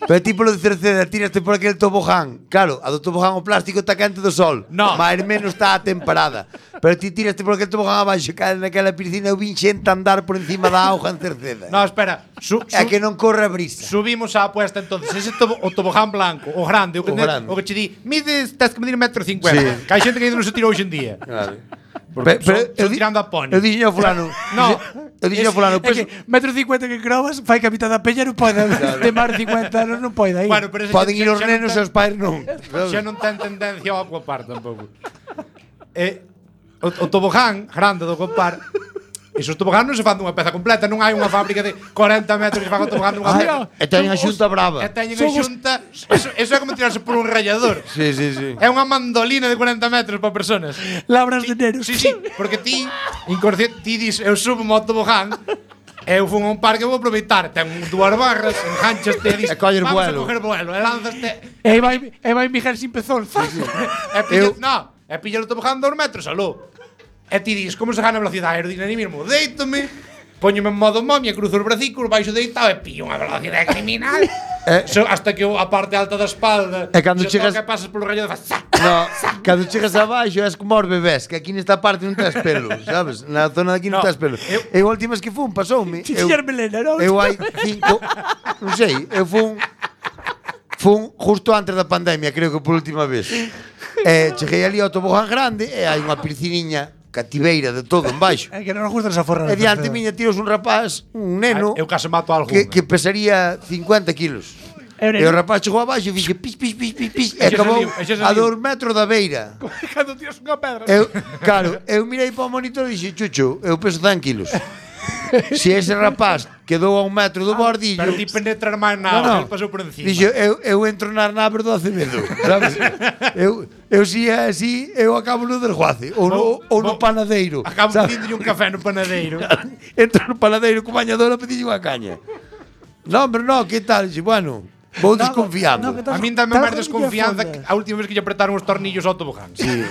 Pero ti polo de Cerceda tiraste por aquel tobogán. Claro, a do tobogán o plástico está quente do sol. No. Máis menos está a temperada. Pero ti tiraste por aquel tobogán abaixo, cae naquela piscina, eu vin xente andar por encima da auga en Cerceda. No, espera. É que non corre a brisa. Subimos a apuesta entonces. Ese o tobogán blanco, o grande, o que, O grande. o que che di, mides, tens que medir 1,50 m. Sí. Que hai xente que ainda non se tira hoxe en día. Claro. Son tirando a pony. Eu dixen ao fulano. No. Eu dixen ao fulano, É pues, que metro 50 que crobas, fai que a mitad da peña non pode. De máis de 50 anos non pode aí. Bueno, pero ese poden xa- ir os xa non nenos e ten- os pais non. Xa non ten tendencia ao Aquapar tampouco. O tobogán grande do Aquapar. Esos tobogán non se fan dunha peza completa, non hai unha fábrica de 40 metros que fan o tobogán dunha peza. E teñen a xunta brava. E teñen a xunta, eso é como tirarse por un rallador. Sí, sí, sí. É unha mandolina de 40 metros para personas. Labras de nenos. Sí, sí, porque ti, inconsciente, ti dis, eu subo mo tobogán, eu fun a un parque e vou aproveitar. Ten dúas barras, enganchaste e dis, E colles vamos vuelo. a coger vuelo, e lanzaste. E vai Miguel sin pezón. E pillas, no, e pillas o tobogán 2 metros, aló. E ti dis, como se gana velocidade aerodinamismo? Deítome, poñome en modo momia, cruzo os bracicos, baixo deitado e pillo unha velocidade criminal. Hasta que a parte alta da espalda E cando se chegas- toca e pasas polo rallo de faz. No, cando chegas abaixo és como os bebés, que aquí nesta parte non tes pelo, sabes? Na zona de aquí non No, tes pelo. Eu a última vez que fun, pasoume. Tiñar melena, non? Eu hai 5, non sei, eu fun justo antes da pandemia, creo que por última vez. Cheguei ali ao tobogán grande e hai unha pisciniña cativeira de todo en baixo. É que non nos gusta esa forra. E diante miña tiros un rapaz, un neno, Eu case mato a algún. que pesaría 50 kilos. É un E o neno. rapaz chegou abaixo e fixe pis, pis, pis, pis, pis, e Ese acabou saliu, ese a saliu. 2 metros da beira. Cando tiras unha pedra. Claro, eu mirei para o monitor e dixen, Chucho, eu peso 100 kilos. Se ese rapaz quedou a 1 metro do bordillo, Pero ti penetrar máis na auga, el pasou por encima. dixo, eu entro nas naves do Acevedo, sabes? eu si é así, eu acabo no desguace ou no panadeiro. Acabo sabes? pedindolle un café no panadeiro. Entro no panadeiro co bañador a pedirlle unha caña. No, hombre, no, que tal? Dixe, bueno, vou desconfiando. A min dame máis desconfianza que a última vez que lle apretaron os tornillos ao tobogán. Sí.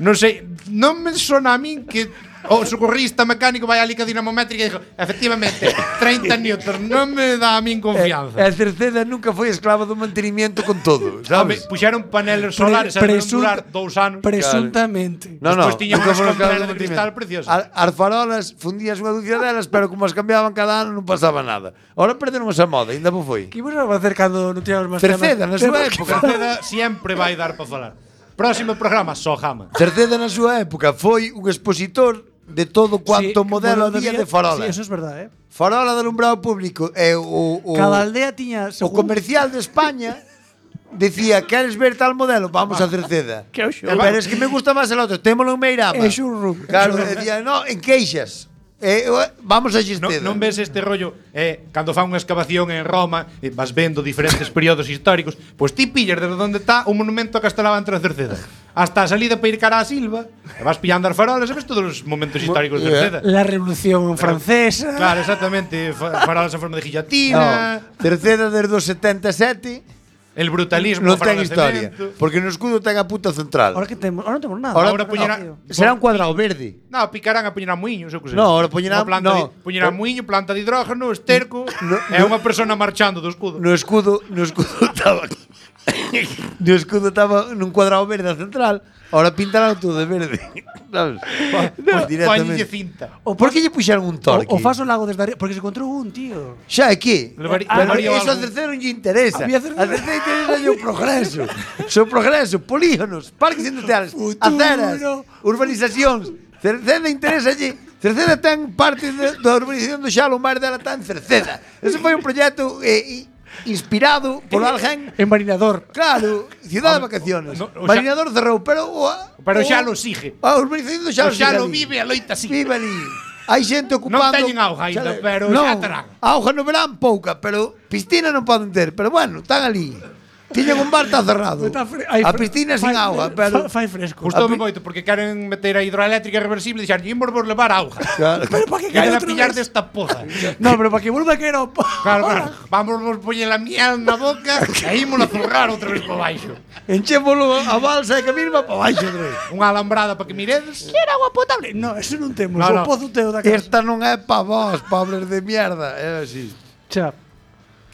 Non sei, non me sona a min que o socorrista mecánico vai ali ca dinamométrica e dixo, efectivamente, 30 newtons, non me dá a min confianza. A Cerceda nunca foi esclava do mantenimiento con todo, sabes? Puxeron paneles solares e non durar 2 anos. Presuntamente. No, Despois tiñan nunca unhas foi esclava campanas do de cristal mantenimiento. preciosas. As farolas fundías unha dúcia delas, pero como as cambiaban cada ano non pasaba nada. Ahora perderon esa moda, ainda non foi. Que vos a facer cando non tivemos máis Cerceda, na súa época. Cerceda sempre vai dar para falar. Próximo programa, só jama. Cerceda na súa época foi un expositor de todo cuanto modelo había de farola. Sí, eso es verdad, Farola de alumbrado público e o Cada aldea tiña o comercial de España decía, ¿queres ver tal modelo? Vamos a Cerceda. Que Pero es que me gusta más el otro, témolo en Meirama. É xurro. Claro, decía, no, en Queixas. Vamos a Xesteda. Non ves este rollo cando fan unha excavación en Roma e vas vendo diferentes períodos históricos, pois ti pillas desde onde está o monumento a Castelao entre a Cerceda hasta a salida para ir cara a Silva e vas pillando as farolas e ves todos os momentos históricos de Cerceda. La Revolución Francesa. Claro, exactamente, farolas en forma de guillotina. Cerceda desde os 77 El brutalismo non ten farolas de historia, cemento. porque no escudo ten a puta central. Ahora que temos, ahora non temos nada. Ahora poñerá Será un cuadrado verde. No, picarán a poñerán muiños, eu que sei. No, ahora poñerán- no. Poñerán muiño, planta de hidrógeno, esterco, é unha persona marchando do escudo. No escudo estaba no escudo estaba nun cuadrado verde a central. Ahora pintarán todo de verde. ¿Sabes? Pues Póñenlle cinta. O Por que lle puxeron un torque? O fas o lago desde arriba, porque se encontrou un, tío. Xa é que? Levaría Eso a algo. terceiro non lle interesa. Había A terceiro interesa o progreso. O progreso, polígonos, parques industriales, Futuro. aceras, urbanizacións. Cerceda interesa lle. Cerceda ten parte da urbanización do Xalo, o mar dela está en Cerceda. Ese foi un proxecto inspirado por alguén. En Marinador. Claro, ciudad de vacaciones. no, o Marinador cerrou, pero Pero xa lo sigue. A urbanización do Xalo. O Xalo sigue ali. vive, a loita sigue. Vive ali. Hai xente ocupando. Non teñen auga ainda, pero non, xa terán. Auga no verán pouca, pero piscina non poden ter, pero bueno, están ali. Tiñen un bar está cerrado. A piscina sin auga, pero Fai fresco. Gustoume moito porque queren meter a hidroeléctrica reversible e dixar, "Imos vos levar auga." Claro. Pero para que Que quede hai a outra pillar vez? desta poza. No, pero para que vuelva a caer ao Claro, claro. Vamos vos poñer a miel na boca e ímos a zurrar outra vez para baixo. Enchémolo a balsa e que misma para baixo, Andrés. Unha alambrada para que miredes. Quero agua potable. No, eso non temos. No, O no. pozo teo da casa. Esta non é pa vos, pobres de mierda. É así. Xa.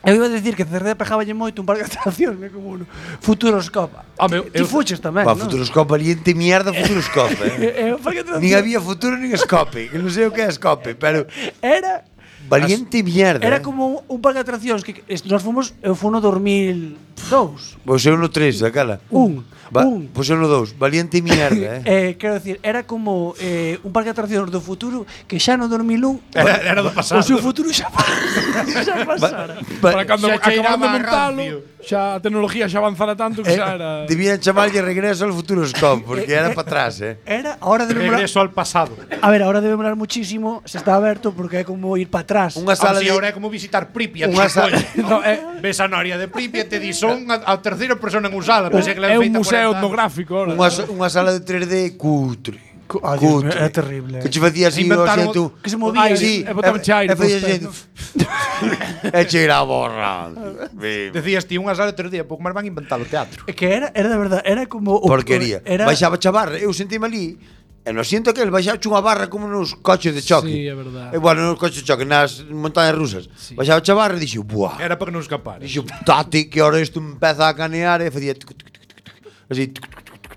Eu iba a decir que Cerceda pejáballe moito un parque de atraccións, como un Futuroscope. Home, Ti fuches tamén, Pa non? Futuroscope, valiente mierda Futuroscope. O parque de Nin atraccións había futuro nin escope, que non sei o que é escope, pero era valiente mierda. Era como un parque de atraccións que nós fomos, eu fui no 2002. Pois eu no 3, daquela. Un. Pois eu no 2, valiente mierda, Quero decir, era como un parque de atraccións do futuro que xa no 2001 Era do pasado. o seu futuro xa pasara. Para cando Xa cheiraba acababan de a montalo, rancio. xa a tecnología xa avanzara tanto que xa era... Debían chamarlle regreso al Futuroscope, porque era para atrás, Era, ahora debe demorar, Regreso al pasado. a ver, ahora debe demorar muchísimo se está aberto porque é como ir para atrás. Unha sala Si de ahora é como visitar Pripyat. Unha sala- No, ves a noria de Pripyat e te di, son a terceira persona en usala. Pensei que la É habían un feito museo 40 anos. etnográfico ahora. unha sala de 3D cutre. Ay, Dios mío, é terrible. Que che facía así o Inventaron- xento. que se movía, sí, e botaban chairo e facía cos xento. E cheira a borra. Decías ti, unha sala de 3 días, pouco máis van inventar o teatro. É que era de verdade, era como Porquería. Era Baixaba chavarra, eu sentime ali. E no asiento aquel baixaba unha barra como nos coches de choque. Sí, é verdade. E bueno, nos coches de choque, nas montañas rusas. Sí. Baixaba chavarra e dixo, buah. Era para que non escapar. Dixo, tate, que ahora isto empeza a canear e facía así.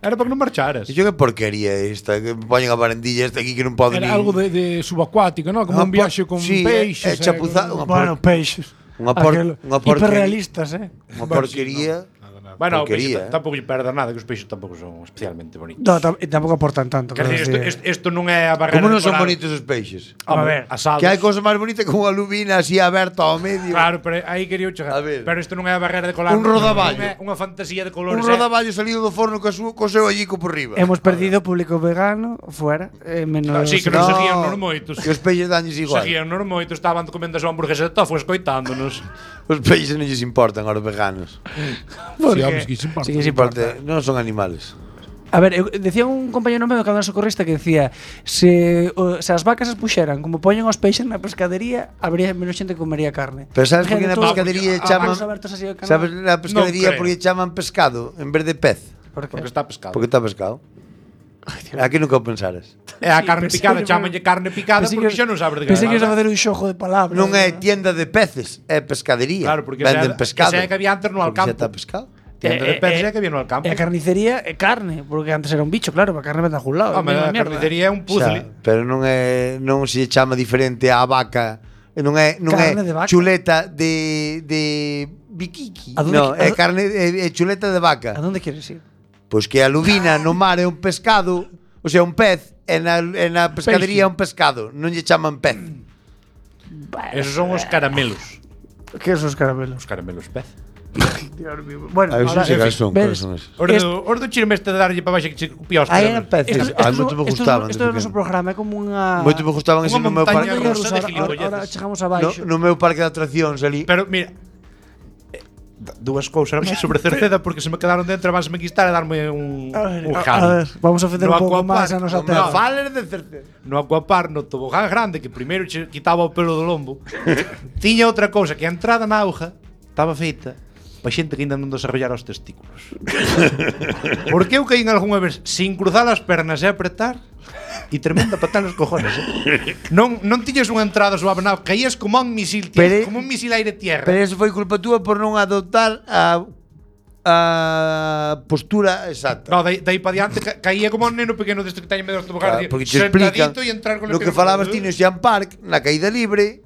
Era para que non marcharas. Dixo, que porquería esta, que poñen a barandilla esta aquí que non pode Era algo de subacuático, ¿no? Como un viaxe con sí, peixes. é chapuzado, con- bueno, peixes. Unha por- Aquel- unha porquería. hiperrealistas, Unha porquería. nada. Bueno, Porquería, tampouco lle perda nada, que os peixes tampouco son especialmente bonitos. No, tampouco aportan tanto. Quer quero dizer, decir. isto non é a barrera Como non de son coral. bonitos os peixes? A ver, asados. Que hai cosa máis bonita que unha lubina así aberta ao medio. Claro, pero aí quería chegar. A ver. Pero isto non é a barrera de coral. Un rodaballo. É unha fantasía de Un colores. rodaballo salido do forno co seu allico por riba. Hemos perdido público vegano fuera, menos Sí, que non seguían nos moitos. Que os peixes danlles igual. Seguían nos moitos, estaban comendo a súa hamburguesa de tofu escoitándonos. Os peixes non lles importan aos veganos. Sí, vamos, que se importa. Sí que se importa. Non son animales. A ver, decía un compañero meu que era socorrista que decía se as vacas as puxeran como poñen os peixes na pescadería, habría menos xente que comería carne. Pero sabes por que na Imagínate todos pescadería os chaman... bancos abertos así ao canal. Sabes na pescadería creo. por que chaman pescado en vez de pez? Por qué? Porque está pescado. Porque está pescado. Aquí nunca o pensaras. É a carne pensei picada, que- chamanlle carne picada Pensei porque que- xa non sabes de Pensei que ibas a nada. facer un xogo de palabras. Non é tienda de peces, é pescadería. Claro, porque venden esa- pescado. esa é que había antes no Porque Alcampo. xa está pescado. Tienda de peces é que viene ao campo. E a carnicería é carne, porque antes era un bicho, claro, a carne vende a algún lado. Home, é a mierda. carnicería é un puzzle. Pero non se chama diferente á vaca. Non é Carne de vaca. chuleta de biquiqui. A donde No, que- é carne é chuleta de vaca. A dónde quieres ir? Pois que a lubina no mar é un pescado, o sea, un pez, e na pescadería é un pescado, non lle chaman pez. Esos son os caramelos. Que son os caramelos? Os caramelos pez. Bueno, A ver ahora, se cal son, ves, cales son esos. Os do chirme este de darlle para baixo que che copia os Ah, eran caramelos. peces. Ah, moito me gustaban. Isto é o noso programa, é como unha... Moito me gustaban ese Unha no meu montaña parque. rusa. de gilipolleces. Ahora chegamos abaixo. No meu parque de atraccións ali. Pero mira, dúas cousas máis sobre Cerceda porque se me quedaron dentro e vanse me quistar e darme un A ver, vamos a ofender No un pouco Aquapar, máis a nosa no, terra. Fales de certeza. No Aquapar, no tobogán grande que primeiro che quitaba o pelo do lombo. Tiña outra cousa que a entrada na auga estaba feita para xente que ainda non desarrollara os testículos. Porque eu caí algunha vez sin cruzar as pernas e apretar e tremenda patada nos cojones. Non tiñas unha entrada suave, non, caías como un misil, Pero- como un misil aire-tierra. Pero eso foi culpa túa por non adoptar a postura exacta. No, daí para diante caía como un neno pequeno deste que teñe medo dos toboganes, Porque te explican sentadito e entrar con lo que falabas ti no Xan Park, na caída libre.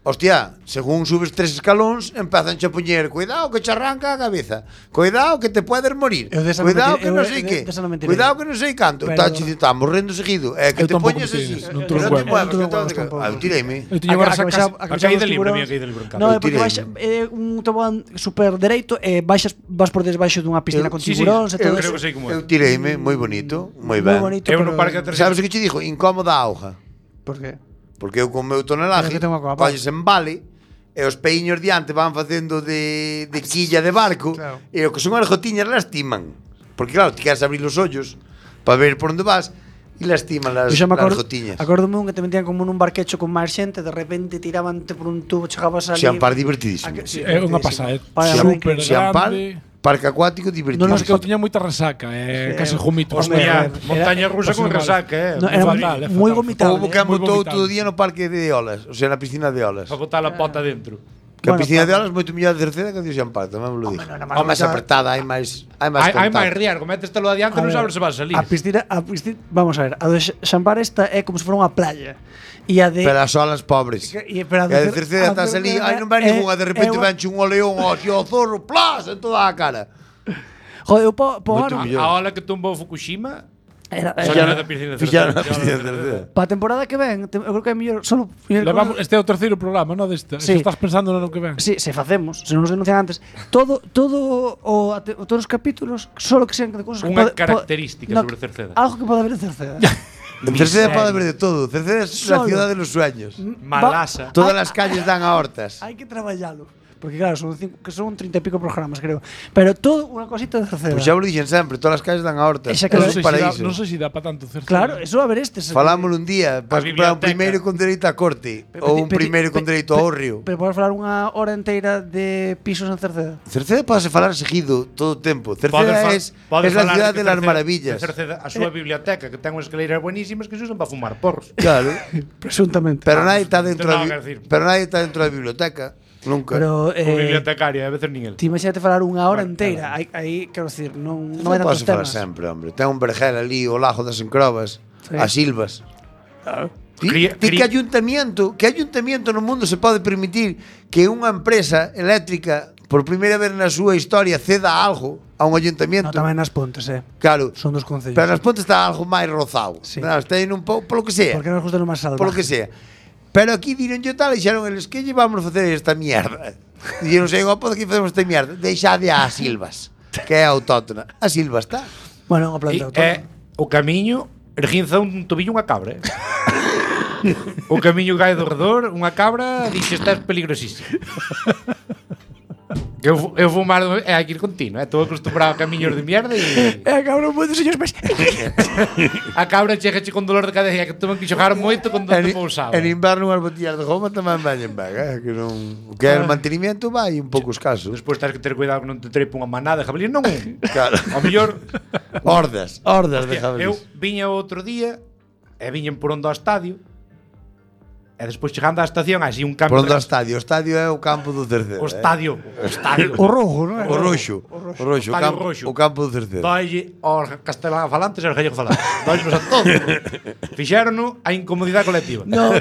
Hostia, según subes 3 escalóns, empezan a poñer cuidado que te arranca a cabeza, cuidado que te puedes morir, Eu desa non cuidado me que tirei- non eu sei de- que, desa non me tirei. cuidado que non sei canto. Pero- Estamos morrendo seguido. É que Eu te tampouco poñes me así. tires, non Non te te huevos. muevas, Non te que huevos te- tampouco. Ah, tireime. Eu tiño unha A resaca. caída libre, a miña caída libre en campo. No, é Eu porque tireime. baixa un tobogán super dereito e vas por desbaixo dunha piscina con sí, tiburóns e eu todo creo eso. que sei como é. Eu tireime, moi bonito, moi Moi ben. bonito, Eu pero... no parque de atraccións. Sabes o que che dixo? Incómoda a auga. Por qué? Porque eu con o meu tonelaje Pero que tengo a copa. colles en vale e os peiños diante van facendo de quilla de barco Claro. e o que son as gotiñas lastiman. Porque claro, ti queres abrir os ollos para ver por onde vas e lastiman Eu las, xa me las acordo, gotiñas. acordome un que te metían como nun barquecho con máis xente, de repente tiravante por un tubo, chegabas ali. Xan Par divertidísimo. Sí, É unha pasada, Para, super Xan Par, grande. parque acuático divertidísimo. Non que eu tiña moita resaca, case jomito. Hostia, Era- montaña rusa con era- resaca, No, era fatal, é moi fatal. vomitable. Houve que moi botou vomitable. todo o día no parque de olas, o sea, na piscina de olas. para botar a pota dentro. Que a Bueno, piscina pa- de olas moito mellor de Cerceda que a de Xan Par, tamén me lo dixo. non era máis Home, máis vomitada. apretada, hai máis Hai máis contacto. riesgo, métestelo adiante, non sabes se vas a salir. A piscina, vamos a ver, a do Xampar esta é como se fora unha playa. E a de Pero as olas pobres. pero a E a de Cerceda estás ali, ai non vai ninguna, de repente venche un oleón ao zorro, plas, en toda a cara. Joder, eu po Moito ano, millón. A ola que tumbou Fukushima, era da piscina de Fixaron Cerceda. a piscina de Cerceda. para a temporada que ven, eu creo que é mellor solo Levamos, este é o terceiro programa, non deste. Sí. Se estás pensando no que ven. Sí, se facemos, se non nos denuncian antes. Todo todos os capítulos, solo que sean de cosas que Unha pode- característica no, sobre Cerceda. Algo que pode haber en Cerceda. En Cerceda pode haber de todo. Cerceda é la Solo. ciudad de los sueños. Malasa. Todas las calles dan a hortas. Hai que traballalo. Porque claro, son 30 e pico programas, creo. Pero todo unha cosita de Cerceda. Pois xa vos dixen sempre, todas as calles dan a hortas. Esa que É Non un sei, se dá, paraíso. non sei se dá para tanto Cerceda. Claro, eso a ver estes. Falámoslo un día, para comprar un biblioteca. primeiro con dereito a corte ou un primeiro con dereito ao río. Pero podes falar unha hora inteira de pisos en Cerceda. Cerceda pode falar seguido todo o tempo. Cerceda es la ciudad de las maravillas. Cerceda, a súa biblioteca, que ten unhas escaleiras buenísimas que se usan para fumar porros. Claro. Presuntamente. Pero nadie está dentro Ten da nada que decir. pero nadie está dentro da biblioteca. Nunca. Pero O bibliotecaria, a veces nin el. ti imagínate falar unha hora Bueno, inteira. Aí, quero decir, non Non vai podes tantos falar temas. sempre, hombre. Ten un vergel ali, o lago das Encrobas, Sí. as Silvas. Ti, Cría- ti que ayuntamiento no mundo se pode permitir que unha empresa eléctrica por primeira vez na súa historia ceda algo a un No, ayuntamiento. tamén nas Pontes, Claro. Son dos concellos. Pero nas Pontes está algo máis rozado. Sí. Está aí un pouco, polo que sea. Porque nos gusta lo máis salvaje. Polo que sea. Pero aquí diron yo tal e dixeron eles que llevamos a facer esta mierda. Dixeron, sei, opa, aquí facemos esta mierda. Deixade a Silvas, que é autóctona. A Silvas está. Bueno, unha planta autónoma. O camiño erguinza un tobillo unha cabra. O camiño cae do redor, unha cabra dixe esta é peligrosísima. Que eu vou máis hai que ir continuo, estou acostumbrado a camiños de mierda e Cabrón, moitos señores, mas... a cabra chegache con dolor de cadera que toman que xogar moito con donde pousaba. En inverno unhas botellas de goma tamén veñen ben, que non, o que é o mantenimiento vai un pouco escaso. Despois tens que ter cuidado que non te trepe unha manada de jabalíes, non un. Claro. Ao mellor Hordas de hostia, jabalís. eu viña outro día e viñen por onde ao estadio. E despois chegando á estación, así un cambio. Por onde o estadio é o campo do Cerceda. O estadio. O rojo, non é? O roxo, o Estadio roxo. o campo do Cerceda. Doille aos castelán falantes e aos gallego falantes. Doillenos a todos. Fixérono a incomodidade colectiva. No.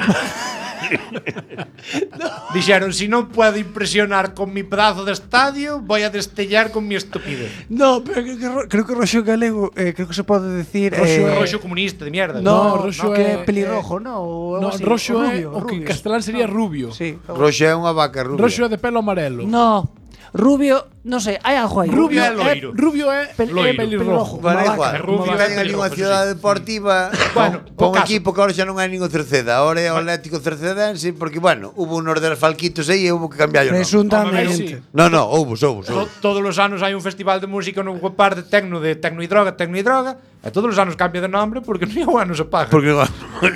Dixeron, si non puedo impresionar con mi pedazo de estadio, voy a destellar con mi estupidez. No, pero creo que roxo galego, creo que se pode decir... Roxo comunista de mierda. No, roxo que é- é pelirrojo, no? No, roxo é o que en castelán sería rubio. Sí. Roxo é unha vaca rubia. Roxo é de pelo amarelo. No, rubio, non sei, hai algo aí. Rubio é loiro. Rubio é Loiro. pelirrojo. Vale, Unha igual. vaca, Rubio unha vaca ten ali unha pelirroja, cidade deportiva. Bueno, pon o caso. equipo que ahora xa non hai ningún Cerceda. Ahora é o Atlético Cercedense, porque, bueno, hubo unos de Falquitos aí e hubo que cambiar o nome. Presuntamente. No, houve. Todos os anos hai un festival de música no par de tecno e droga, e todos os anos cambia de nombre porque non o ano se paga. Porque,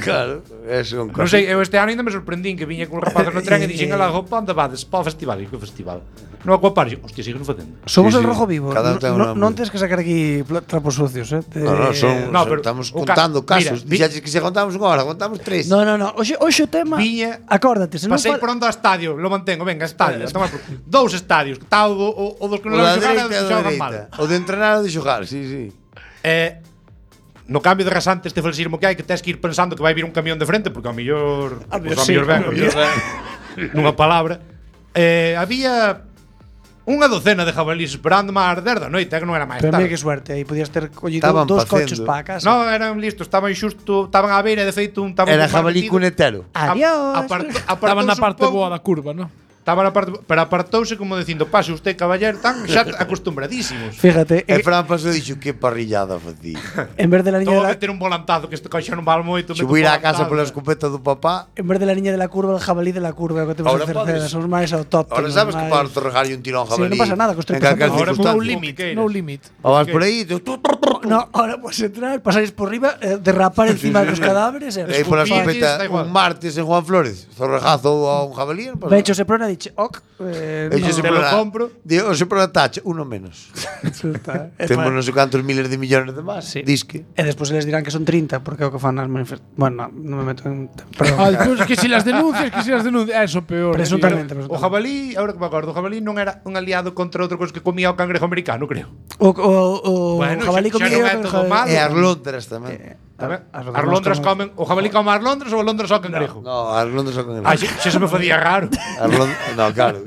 claro, eso é un Non sei, eu este ano ainda me sorprendín que viña con os rapazes no tren e dixen ala, pa, onde vades? Pa o festival. E que festival? No Aquapark. Hostia, siguen facendo. Somos Sí, el sí. rojo vivo. Cada un ten un nombre. Non tens que sacar aquí trapos sucios, No, No, pero estamos o contando mira, casos. Dixaches que se contamos unha hora, contamos tres. No. Oxe o tema. Viña- Acórdate, se non Pasei por onde ao estadio, lo mantengo, venga, estadio. Dous estadios, está o dos que O non da levan xogar e dereita o dos e o que da xogan mal. dereita. O de entrenar ou de xogar, sí. No cambio de rasante este falsismo que hai que tes que ir pensando que vai vir un camión de frente porque ao mellor ben, nunha palabra. Había unha docena de jabalís esperando má arder da noite, que non era máis Pero mira tarde. que suerte, aí podías ter collido Estaban dos facendo. coches para a casa. No, eran listos, estaban xusto, estaban á beira, de feito, un estaban Era con jabalí partido. cunetero. Adiós. Estaba na parte boa da curva, non? Estaba na parte, pero apartouse como dicindo, pase usted, caballero, tan xa acostumbradísimos. Fíjate, E Fran pasou e dixo que parrillada facía. en vez de la niña Todo de la, meter un volantazo que este coche non vale moito. Se vou ir á casa pola escopeta do papá. en vez de la niña de la curva, el jabalí de la curva, que temos Ahora en Cerceda, podes- son máis autóctonos. Ahora sabes que máis- para torrejarlle un tirón Sí, jabalí. non pasa nada, que estou en calquer empezando. Ahora circunstancia. no limit. No limit. O vas por aí, No, ahora puedes entrar, pasáis por arriba, derrapar encima de los cadáveres e aí pola Escupilles, escopeta da igual. un martes en Juan Flores, zorrejazo a un jabalí. Non pasa Ben hecho se prona diche, ok, Eixe se Te lo prona- compro. Digo, se prona tacha, uno menos. Temos non sei cantos miles de millones de más. Sí. Disque. E despois les dirán que son 30, porque é o que fan as manifestacións. Bueno, non me meto en... Perdón. Despois que si las denuncias, Eso peor. Presuntamente. O jabalí, agora que me acordo, o jabalí non era un aliado contra outra cosa que comía o cangrejo americano, creo. O Bueno, jabalí xa comido non é todo malo. E as lóntras tamén. As londras comen, o jabalí come as londras ou as londras ao cangrejo? No, as lóntras son con Ai, xa se me facía raro. No, claro.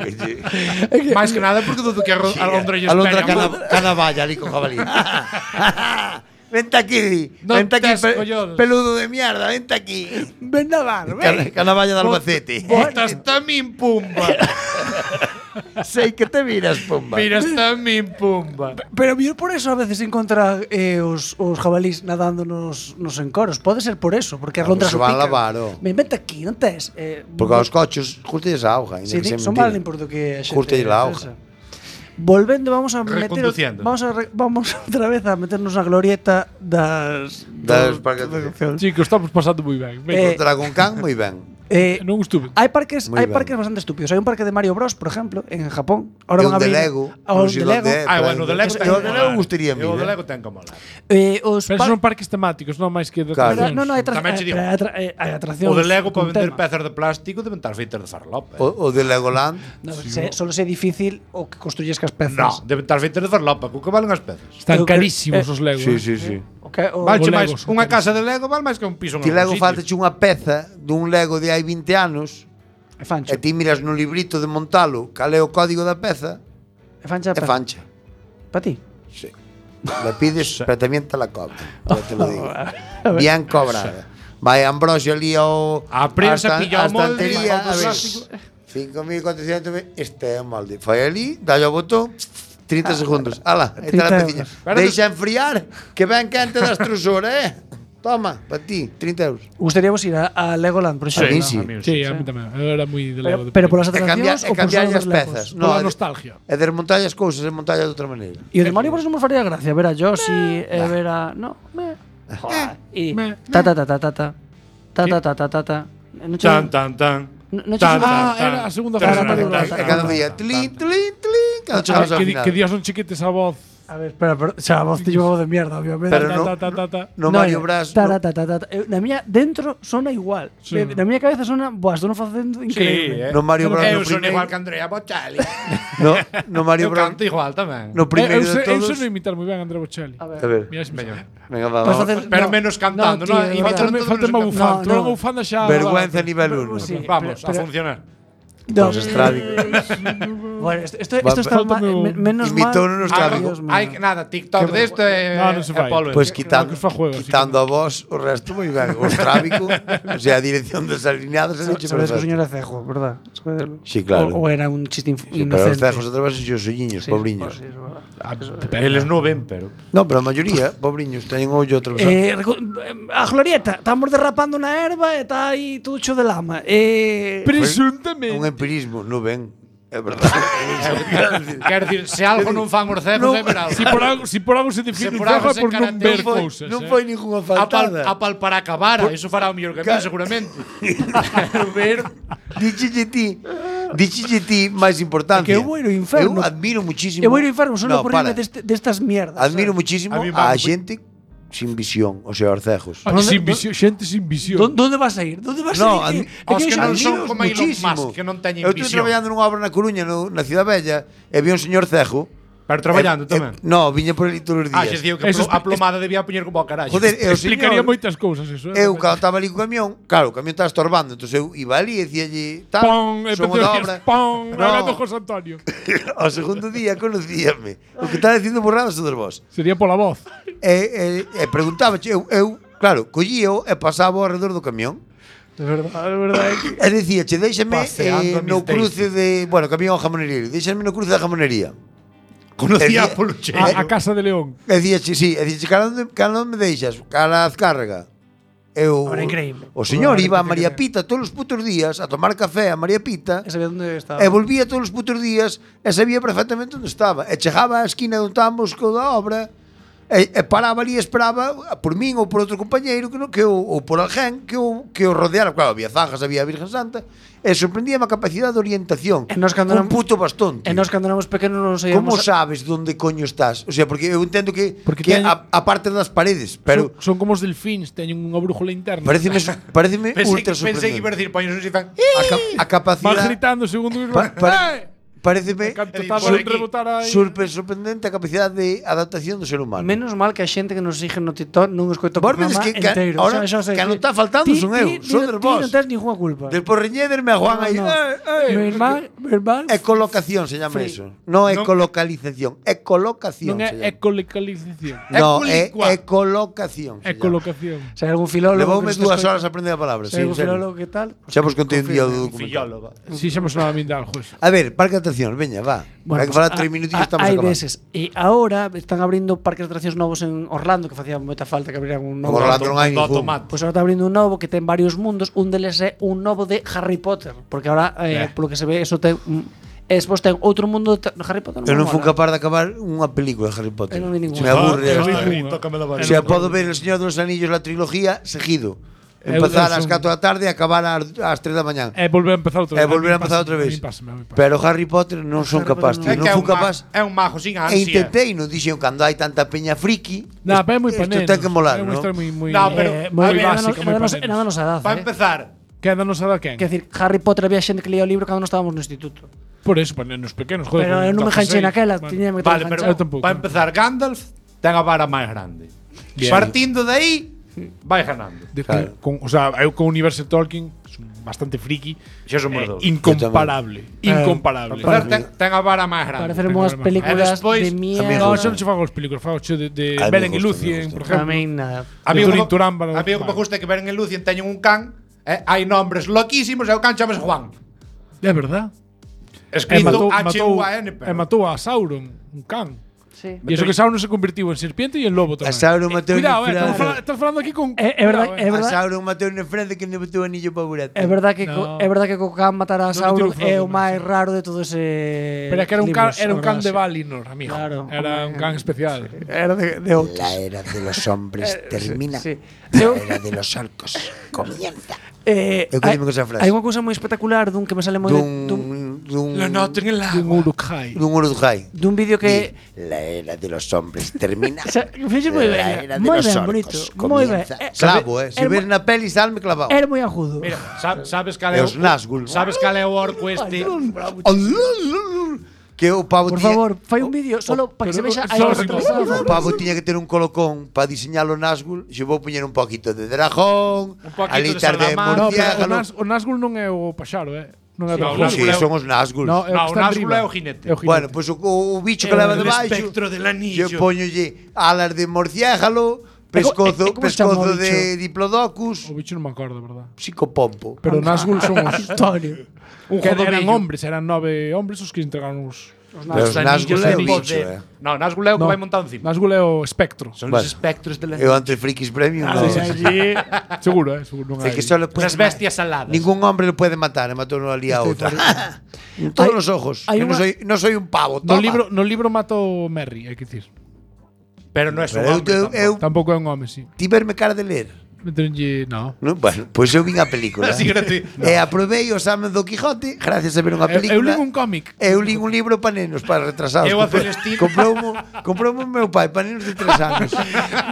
Máis que nada porque dudo que a londra lle A londra espera. canavalla ali con jabalí. Vente aquí, Non vente aquí, tes collones. peludo de mierda, vente aquí. Vendaval, ven. Canavalla de Albacete. Botas tamén pumba. Sei que te miras, pomba. Miras tamén pumba. Pero mellor por eso a veces encontra os jabalís nadando nos encoros. Pode ser por eso, porque as lontras se o van pican. lavar, oh. Vente aquí, non tes? Porque aos cochos justelles a auga, ainda Sí, que sea son mentira. máis limpos do que a xente. Curtelle a auga. pensa. Volvendo, vamos a meter Reconduciendo. vamos outra vez a meternos na glorieta das parques. Chicos, estamos pasando moi ben. Venga, Contra con can, moi ben. non estuve. Hai parques, Moi ben. bastante estúpidos. Hai un parque de Mario Bros, por exemplo, en Japón. Ahora E van un a de abrir Lego. un non sei de Lego. onde é, Ah, pero bueno, o de Lego eu ten o que de Lego molar. gustaría a mí. O de Lego ten que molar. Os Pero son parques temáticos, non máis que de Claro. atraccións. No, hai Tamén che digo. atraccións. O de Lego con para vender tema. pezas de plástico deben estar feitas de farlopa. O de Legoland. No, solo é difícil o que construyes cas pezas. No, deben estar feitas de farlopa, co que valen as pezas. Están Eu que- carísimos os Legos. Sí. Valche o máis, Lego son unha casa de Lego vale máis que un piso en Ti algún Lego sitio. faltache unha peza dun Lego de hai 20 anos É fancho. e ti miras no librito de montalo cal é o código da peza É fancha. É fancha. Para ti. Sí. Le pides, pero tamén te la cobran. Ya te lo digo. Bien cobrada. Vai Ambrosio ali ao A prensa pilla o molde, estantería, o a ver, plástico. 5.400, este é o molde. Foi ali, dalle ao botón, 30 segundos. Ala, aí está a 30 peciña. euros. Deixa enfriar, que ven quente da extrusora, Toma, para ti, 30 euros. Gustaríamos ir a Legoland, por exemplo. A mí sí. Sí, a mí tamén. Eu era moi de Lego. Pero polas E cambiar, atraccións ou por cambiar solo as dos Legos? pezas. Pola é de- nostalgia. É desmontar as cousas, é montar de outra maneira. E o de Mario por eso non me faría gracia ver a Yoshi e ver a... No, joder. E... Ta ta ta ta ta ta. Ta ta ta ta ta ta. Non che- Tan, tan, tan. non che- Tan, Ah, tan, era a segunda tan, fase. tan, tan, E tan, cada tan, día, tan, tlin, tan. tlin, tlin, cando chegamos ao Que final. días son chiquites a voz. A ver, espera, xa a voz te llevo de mierda, obviamente. Pero no- No Mario Bros. Ta, ta, ta, ta, ta. Na miña dentro sona igual. Sí. Na miña cabeza sona, buah, estou non facendo increíble. No Mario Bros. Eu no son primeiro- igual que Andrea Bocelli. No Mario Eu Bros. canto igual tamén. No primeiro de Eu todos. sei imitar moi ben a Andrea Bocelli. A ver. A ver, Mira, se me Veña. venga, va, Vas vamos. facer- Pero no. menos cantando, No, ¿no? tío, Imitando Falta unha menos bufanda. No, Tú no. unha bufanda xa. Vergüenza nivel 1. Sí, Vamos, a pero- funcionar. No, Pues estrábico. Bueno, esto está falta menos mal. Imitouno nos Ah, Dios mío. hai nada, TikTok desto é No, non se fai. polo. Pues quitando, que fa juego, así quitando a vos, o resto moi ben. O estrábico, o sea, a dirección das alineadas é hecho Sabes que o perfecto. señor é cejo, verdad? Sí, claro. O era un chiste Sí, pero os inocente. cejos através os olliños, Sí, pobriños. sí, es verdad. Eles non ven, pero No, pero a maioría, pobriños, teñen o ollo atravesado. A Glorieta, estamos derrapando na erva e está aí todo cho de lama. Un Presuntamente. empirismo, non ven. É verdade. quero dicir, se algo non fan os cegos é ver algo. Si por algo se define Se un por algo cejo é se por non caracteriza- ver Non foi- cousas. non foi ninguna faltada. A palpar a cabara, eso fará o mellor que a mí, seguramente. Quero ver. Díchelle ti máis importante. É que eu vou ir ao inferno. Eu admiro muchísimo. Eu vou ir ao inferno solo No, por irme para. destas mierdas. Admiro muchísimo A mí a vamos- xente sin visión, o sea, os cejos. Ah, sin visión, xente sin visión. ¿Dónde vas a ir? ¿Dónde vas No, a ir? Os que non admiro son como Elon muchísimo. Musk, que non teñen Eu estou visión. traballando nunha obra na Coruña, na Cidade Bella, e vi un señor cejo. Pero traballando tamén. No, viña por ali todos os Ah, días. xe digo que Eso a plomada debía poñer como a carallo. Joder, e o Explicaría señor, moitas cousas eso. eu cando estaba ali co camión, claro, o camión estaba estorbando, entón eu iba ali e dicíalle, tal, Pon, somos da obra. pon, No. hablando José Antonio. Ao segundo día conocíame. O que estaba dicindo borradas todos vos. Sería pola voz. E preguntaba, eu, claro, collío e pasaba ao redor do camión. De verdad. E dicía, che, déixame Paseando no mis cruce de, bueno, camión ao jamonería, déixame no cruce da jamonería. Conocía E polo cheiro. A Casa de León. E dicía, sí, e dicía, cara onde me deixas? Cara a Azcárraga. Eu, Ahora, increíble. O señor Ahora, iba a que María te- Pita todos os putos días a tomar café a María Pita. Sabía dónde estaba. E volvía todos os putos días e sabía perfectamente onde estaba. E chegaba á esquina onde estábamos co da obra e paraba ali e esperaba por min ou por outro compañeiro ou por alguén que o rodeara. Claro, había zanjas, había a Virgen Santa e sorprendíame a capacidade de orientación. E nós cando un éramos- puto bastón, tío. E nós cando éramos pequenos non Como sabíamos... sabes onde coño estás? O sea, porque eu entendo que Porque que teñen- a parte das paredes, pero Son como os delfíns, teñen unha brújula interna. pareceme ultra Pensei que iba a sorprendente. decir poños un fan. A Van capacidade gritando segundo mismo. pareceme Canto Por taban aquí. rebotar aí. sorprendente a capacidade de adaptación do ser humano. Menos mal que a xente que nos sigue no TikTok non escoita o Vos programa vedes que inteiro. ahora Xa sei que non está faltando son eu, son Ti des vos. non tens ninguna culpa. Del porreñederme a Juan aí. No. Meu irmán... Ecolocación se llama Free. eso. No ecolocalización, ecolocación Non se é llama. ecolocalización. No, é Ecolicua. ecolocación. se llama. Ecolocación. Se hai algún filólogo... Levoume que nos 2 escoita- horas a aprender a palabra, Se sí, hai en algún serio. filólogo que tal... Xa vos contei un día do documental. Fillólogo. Si xa me sonaba a min de algo eso. A ver, parque de atraccións, veña, va. Hai que falar 3 minutillos, estamos hai acabando. veces. E agora están abrindo parques de atraccións novos en Orlando, que facía moita falta que abrieran un novo. Como Orlando non hai Do ningún. tomate. Pois agora está abrindo un novo que ten varios mundos, un deles é un novo de Harry Potter, porque agora polo que se ve eso ten e despois ten outro mundo de Harry Potter. Eu non fui mola. capaz de acabar unha película de Harry Potter. Eu non vi ninguna. Se me aburre. Ah, eu vi hasta- ninguna. Tócame la O varita. sea, podo ver El Señor dos Anillos, la trilogía, seguido. Empezar eu ás son- 4 da tarde e acabar ás 3 da mañá. É volver a empezar outra vez. E volver a mí empezar pásame, outra vez. a mí pásame, a mí pásame. Pero Harry Potter non son Harry capaz, Potter tío. É que Non fui capaz. é un mago sin E ansia. intentei, non dixen cando hai tanta peña friki. No, pero é moi isto paneno. ten que molar, É unha non? historia moi No, pero moi a ver, básica, moi Era paneno. da nosa edad, Para empezar, Quédanos a da quen? Quer decir, Harry Potter había xente que leía o libro cando nós estábamos no instituto. Por eso, panenos pequenos, joder. Pero eu non me 16, enganchei naquela, bueno. tiña que vale, ter pero Eu tampouco. para empezar, Gandalf ten a vara máis grande. Bien. Partindo de aí, vai ganando. De que, Claro. con, o sea, eu con o universo Tolkien son bastante friki. Xa somos dous. Incomparable. Incomparable. Ten a vara máis grande. Parecerme unhas películas despois, de miedo. No, xa non se fan os películas, fan os de A mí Beren me e gusta, Lucien, me por gusta. exemplo. A mí nada. A mí o Turín Turán, que me gusta é que Beren e Lucien teñen un can, hai nombres loquísimos e o can chamase Juan. É verdad. Escrito H-U-A-N. Matou a Sauron, un can. Sí. E iso que Sauron se convertiu en serpiente e en lobo tamén. A Sauron matou Cuidado, en Francia. estás falando aquí con... É verdad, Cuidado, é A verdad. Sauron matou na Francia que non botou anillo para burete. É verdad que No. é verdad que co can matar a Non Sauron meteu é Frodo, o máis sí. raro de todo ese Pero é que era un can, libros, era un a can verdad, de sí. Valinor, amigo. Claro. Era un can especial. Era de outros. La era de los hombres termina. Sí. La era de los orcos comienza. Eu hai, quedime con esa frase. hai unha cousa moi espectacular dun que me sale moi Dun noten en la Un Uruk-hai. dun Uruguay. dun vídeo que La era de los hombres termina. fixo moi La ben, era de moi los ben, orcos bonito, moi ben. comienza. Clavo, Se ves na peli salme clavado. Era moi agudo. Mira, sabes cal E é os Nazgûl. Sabes cal é o orco este? Que o pavo Por tiña- favor, fai un vídeo solo para que se vexa a solo O pavo tiña que ter un colocón para diseñar o Nazgûl. Xe vou poñer un poquito de dragón, poquito de alitas de salamandra. No, pero murciélago. o Nazgûl non é o paxaro, Non é No, do o Sí, Nazgûl é son os Nazgûl. No, é o No, que o está Nazgûl arriba. é o jinete. É o jinete. Bueno, pois o bicho que leva el debaixo. espectro del anillo. Yo poñolle alas de murciélago, pescozo, e como se chama o pescozo de bicho? diplodocus, O bicho non me acordo, verdad. psicopompo. Pero o Nazgûl son os... Antonio. que eran jodovillo. hombres, eran 9 hombres os que entregaron os... Pero os Nazgûl é o bicho, No, Nazgûl é o que vai montado encima. Nazgûl é o espectro. Son Bueno. os espectros de la Eu antes Frikis Premium no. Allí... seguro, seguro. Non É hai. que solo puede Las bestias aladas. Ningún hombre lo puede matar, matou ali a outra. En todos Hay- los ojos. hay Que no una- soy un pavo, No toma. libro matou Merry, hai que dicir. Pero non é un Pero hombre. Tampouco é un home, sí. ti verme cara de ler. Meteronlle... No. No, bueno, pois eu vin a película. Así gratuito. E aprobei o exame do Quijote gracias a ver unha película. Eu li un cómic. Eu li un libro para nenos, para retrasados. Eu a Celestino. Comproumo o meu pai para nenos de 3 anos.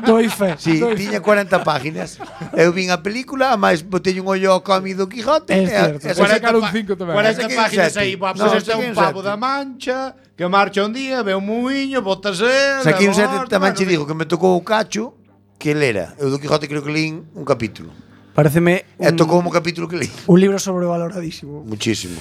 Doi fe. Sí, tiña 40 páginas. Eu vin a película, a máis botei un ollo ao cómic do Quijote. É certo. e sacaron 5 tamén. 40 Saquei un páginas sete. aí. Pois No, este é saquei un un pavo sete. da Mancha que marcha un día, ve un muiño, botase. Saquei un sete, tamén che digo que me tocou o cacho que lera. Eu do Quijote creo que lín un capítulo. Pareceme E tocou un capítulo que lín. un libro sobrevaloradísimo. Muchísimo.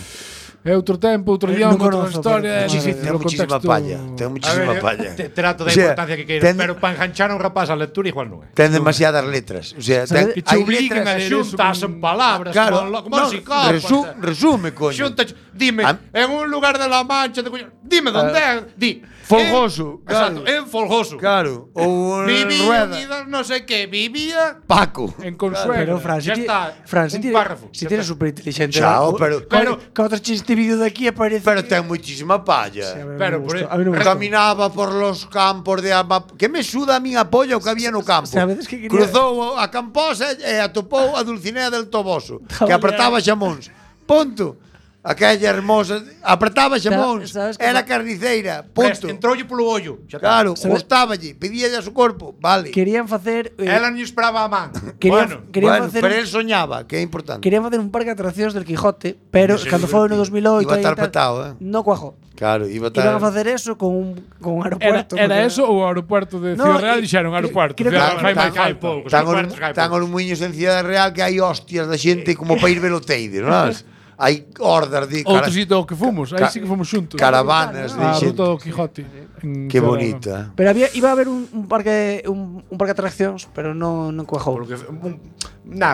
É outro tempo, outro idioma, Non outra conozco, historia, é pero- difícil Ten o muchísima contexto. palla. Ten muchísima palla. Trato da O sea, importancia que queiras, ten- pero para enganchar a un rapaz a lectura igual non é. Ten demasiadas letras. O sea, ten, Que che hai obliguen a letras. ler eso Xuntas en palabras, Claro, como un psicópata. resume, coño. Xunta, dime, en un lugar de la Mancha, dime onde é, di. Folgoso, Exacto, claro. en Folgoso. Claro, ou Vivía, Rueda. no sé qué, vivía. Paco. En Consuelo. Pero Fran, Ya está, un si párrafo, si ya tienes está. súper inteligente. Chao, pero- Que outros chistes vídeo de aquí aparece. Pero ten muchísima palla. Pero por a mí non me gusta. Caminaba por los campos de Amap. Que me suda a min a polla o que había no campo. Sabedes que quería- Cruzou a Camposa e atopou a Dulcinea del Toboso, que Joder. apretaba xamóns. Punto. Aquella hermosa apretaba xamóns. sabes que Era ma- carniceira. Punto. Entroulle polo ollo. Xa está. Claro, ¿Sabes? gustáballe, pedíalle a su corpo. Vale. Querían facer Ela non esperaba a man. querían, Bueno, querían Bueno, facer pero él soñaba, que é importante. querían facer un parque de atraccións del Quijote, pero cando foi no 2008 Iba a aí estar tal, petado, no cuajó. Claro, iba a Iban a estar. facer eso con un Era, aeropuerto. era porque- eso ou o aeropuerto de No, Ciudad Real e- dixeron aeropuerto. creo que- Ciudad Real Tan- fai tan poucos, Tan aeropuertos que hai os poucos. muiños en Ciudad Real que hai hostias da xente como para ir ver o Teide, non? Hai hordas de Outro sitio que fomos, aí sí que fomos xuntos. caravanas de A xente. ruta do Quijote. en Que Ciudad Real. bonita. Pero iba a haber un parque de atraccións, pero non cuajou.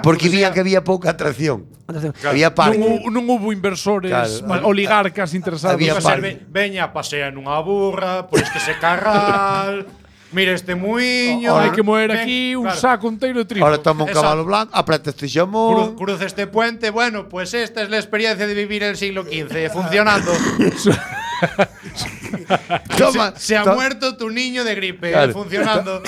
Porque vían que había pouca atracción. Atracción. Había parque. Non hubo inversores, Claro. oligarcas interesados. Había Iba a ser, parque. veña, pasea nunha burra, por este carral, mira este muiño. Hai que moer ven, aquí un claro. saco inteiro de trigo. Ahora toma un Exacto. cabalo blanco, apreta este xamón. Cruza este puente, bueno, pues esta es la experiencia de vivir el siglo XV, funcionando. Toma, Se ha to- muerto tu niño de gripe, Claro. funcionando.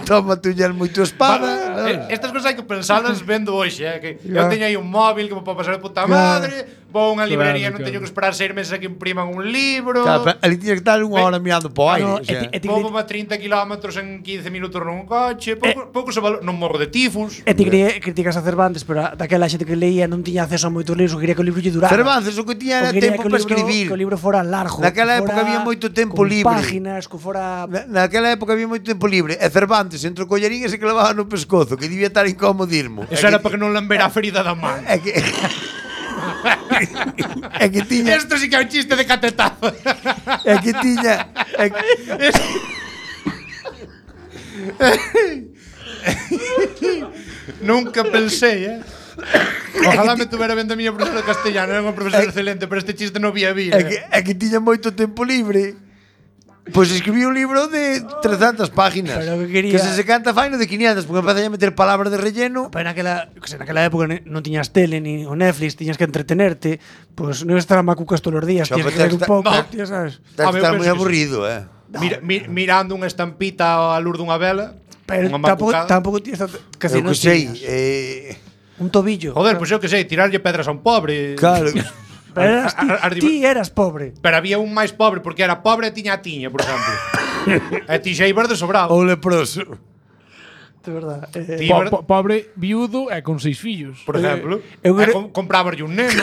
Toma tu muy tu espada. Estas cosas hai que pensalas vendo hoxe, que eu teño aí un móvil que me pode pasar de puta madre, vou a unha librería, Claro, non teño claro. que esperar 6 meses a que impriman un libro. Claro, pero ali tiñas que estar unha hora mirando po aire. no, o sea. Vou a 30 km en 15 minutos nun coche, pouco se valor, non morro de tifus. E ti criticas a Cervantes, pero daquela xente que leía non tiña acceso a moitos libros, quería que o libro lle durara. Cervantes o que tiña era tempo para escribir. Que o libro fora largo. Naquela que época fora había moito tempo con libre. páginas, que fora... Naquela época había moito tempo libre. E Cervantes, entre o collarín e se clavaba no pescozo, que debía estar incómodo irmo. Eso era para que non lambera a ferida da man. É que... é que tiña... Isto sí que é un chiste de catetazo. É que tiña... É que... Nunca pensei, Ojalá me tuvera vendo a miña profesora de castellano, era unha profesora excelente, pero este chiste non vía vir. É que tiña moito tempo libre. Pois escribí un libro de 300 páginas. Pero que quería- se canta faino de 500, porque empecé a meter palabras de relleno. Pero naquela época non tiñas tele ni o Netflix, tiñas que entretenerte, pois non estar a macucas todos os días, Xa, tiñas pero que ver un tens que pouco, estar- tío, sabes? Tens A que ver, estar eu moi penso que aburrido, Mirando unha estampita á luz dunha vela, Pero unha macucada. tampouco tienes que Eu non que sei, tiñas un tobillo. Joder, pois eu que sei, tirarlle pedras a un pobre. claro. Pero eras ti eras pobre. Pero había un máis pobre porque era pobre e tiña a tiña, por exemplo. E ti xa ibas de sobrado. Ou leproso. De verdad. Ti ibas- Pobre viudo e con 6 fillos. por exemplo, eu creo- comprabarlle un neno.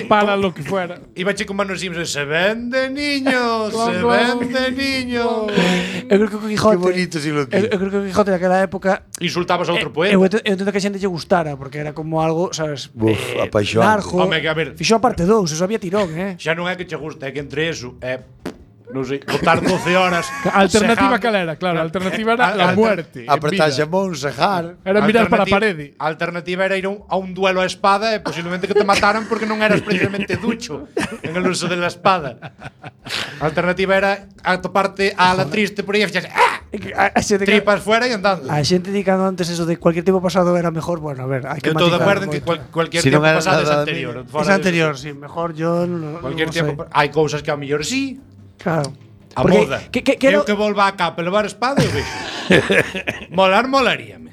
Para lo que fuera. Iba che con manos Simpson, se vende niños, se Claro. vende niños. Eu creo que o Quijote. Que bonito si lo que. Eu creo que o Quijote daquela época Insultabas a outro poeta. eu entendo que a xente lle gustara porque era como algo, sabes, Buf, apaixonante. largo. Home, que a ver. Fixo a parte 2, eso había tirón, Xa non é que che gusta, é que entre eso non sei, botar 12 horas. A alternativa sejando- cal era, claro, a alternativa era la muerte. en Apretarse a vida. món, sejar. Era mirar para a Alternativa- parede. A alternativa era ir a un duelo a espada e posiblemente que te mataran porque non eras precisamente ducho en el uso de la espada. A alternativa era atoparte a la triste por aí e fixas A xente que tripas fuera e andando. a xente dicando antes eso de cualquier tiempo pasado era mejor, bueno, a ver, hai que Eu estou de matizar acordo en que moito. cualquier Si non tiempo era pasado é nada anterior. mío. Fora Es de- anterior, sí, mejor yo no, Cualquier no tiempo. sé. Hai cousas que ao mellor sí. Claro. A Porque moda. que Eu que volva a capa e levar espada, eu vexo. Molaríame.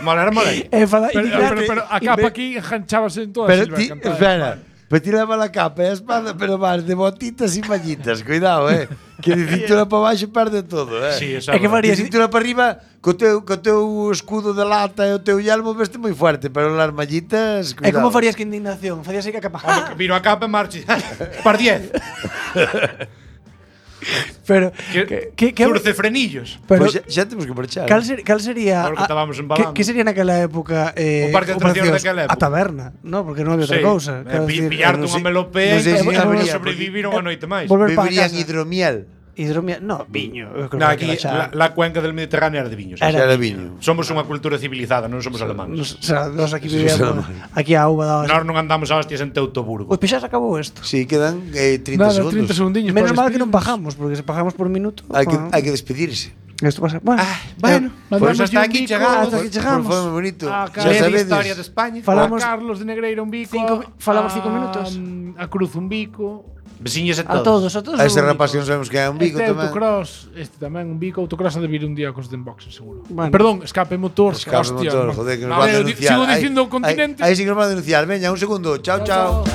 Molaría. Pero a capa aquí enganchábase en toda Pero Silva ti, cantada. espera. Pero ti leva la capa e a espada, pero vas de botitas e mallitas. Cuidado, Que de cintura para baixo perde todo, Sí, eso É que verdade. faría- De cintura para arriba, co teu escudo de lata e o teu yelmo veste moi fuerte, pero las mallitas, É cuidado. como farías que indignación, farías aí que capa. Home, viro a capa e marcho. Par 10. Pero que Curce frenillos. pero Pois xa temos que marchar. cal sería Ahora que estábamos embalando. que sería naquela época O parque de atraccións daquela época. a taberna, no, porque non había outra cousa. Quero decir, Pillarte non unha sei- melopea non sei e se poder habería, sobrevivir unha noite máis. volver para Beberían casa. hidromiel. Hidromiel, no, viño. Eu creo No, que aquí aquela xa- la cuenca del Mediterráneo era de viños. Era- Xa era viño. Somos unha cultura civilizada, non somos alemanes. o sea, nós aquí Eso vivíamos será aquí a uva daba. Nós non andamos a hostias en Teutoburgo. Pois xa se acabou isto. Sí, quedan 30 Nada, segundos. 30 segundinhos. Menos para mal que non despedirnos. bajamos, porque se bajamos por minuto. Hai que despedirse. Isto pasa. Bueno, Bueno, Mandamos pues hasta un aquí bico. chegamos. hasta aquí chegamos. Foi moi bonito. Ah, Xa Leve sabedes. historia de España. Falamos- A Carlos de Negreira un bico. Falamos a- 5 minutos. A Cruz un bico. Veciños a todos. A ese rapaz que non sabemos que é un bico Este tamén. autocross, este tamén un bico. Autocross ha de vir un día cos de boxes, seguro. Bueno. Perdón, escape motor. Escape hostia, motor, no. joder, que nos No, van a eu denunciar. sigo dicindo Aí- continente. Aí sí que nos van a denunciar. Veña, un segundo. Chao, chao.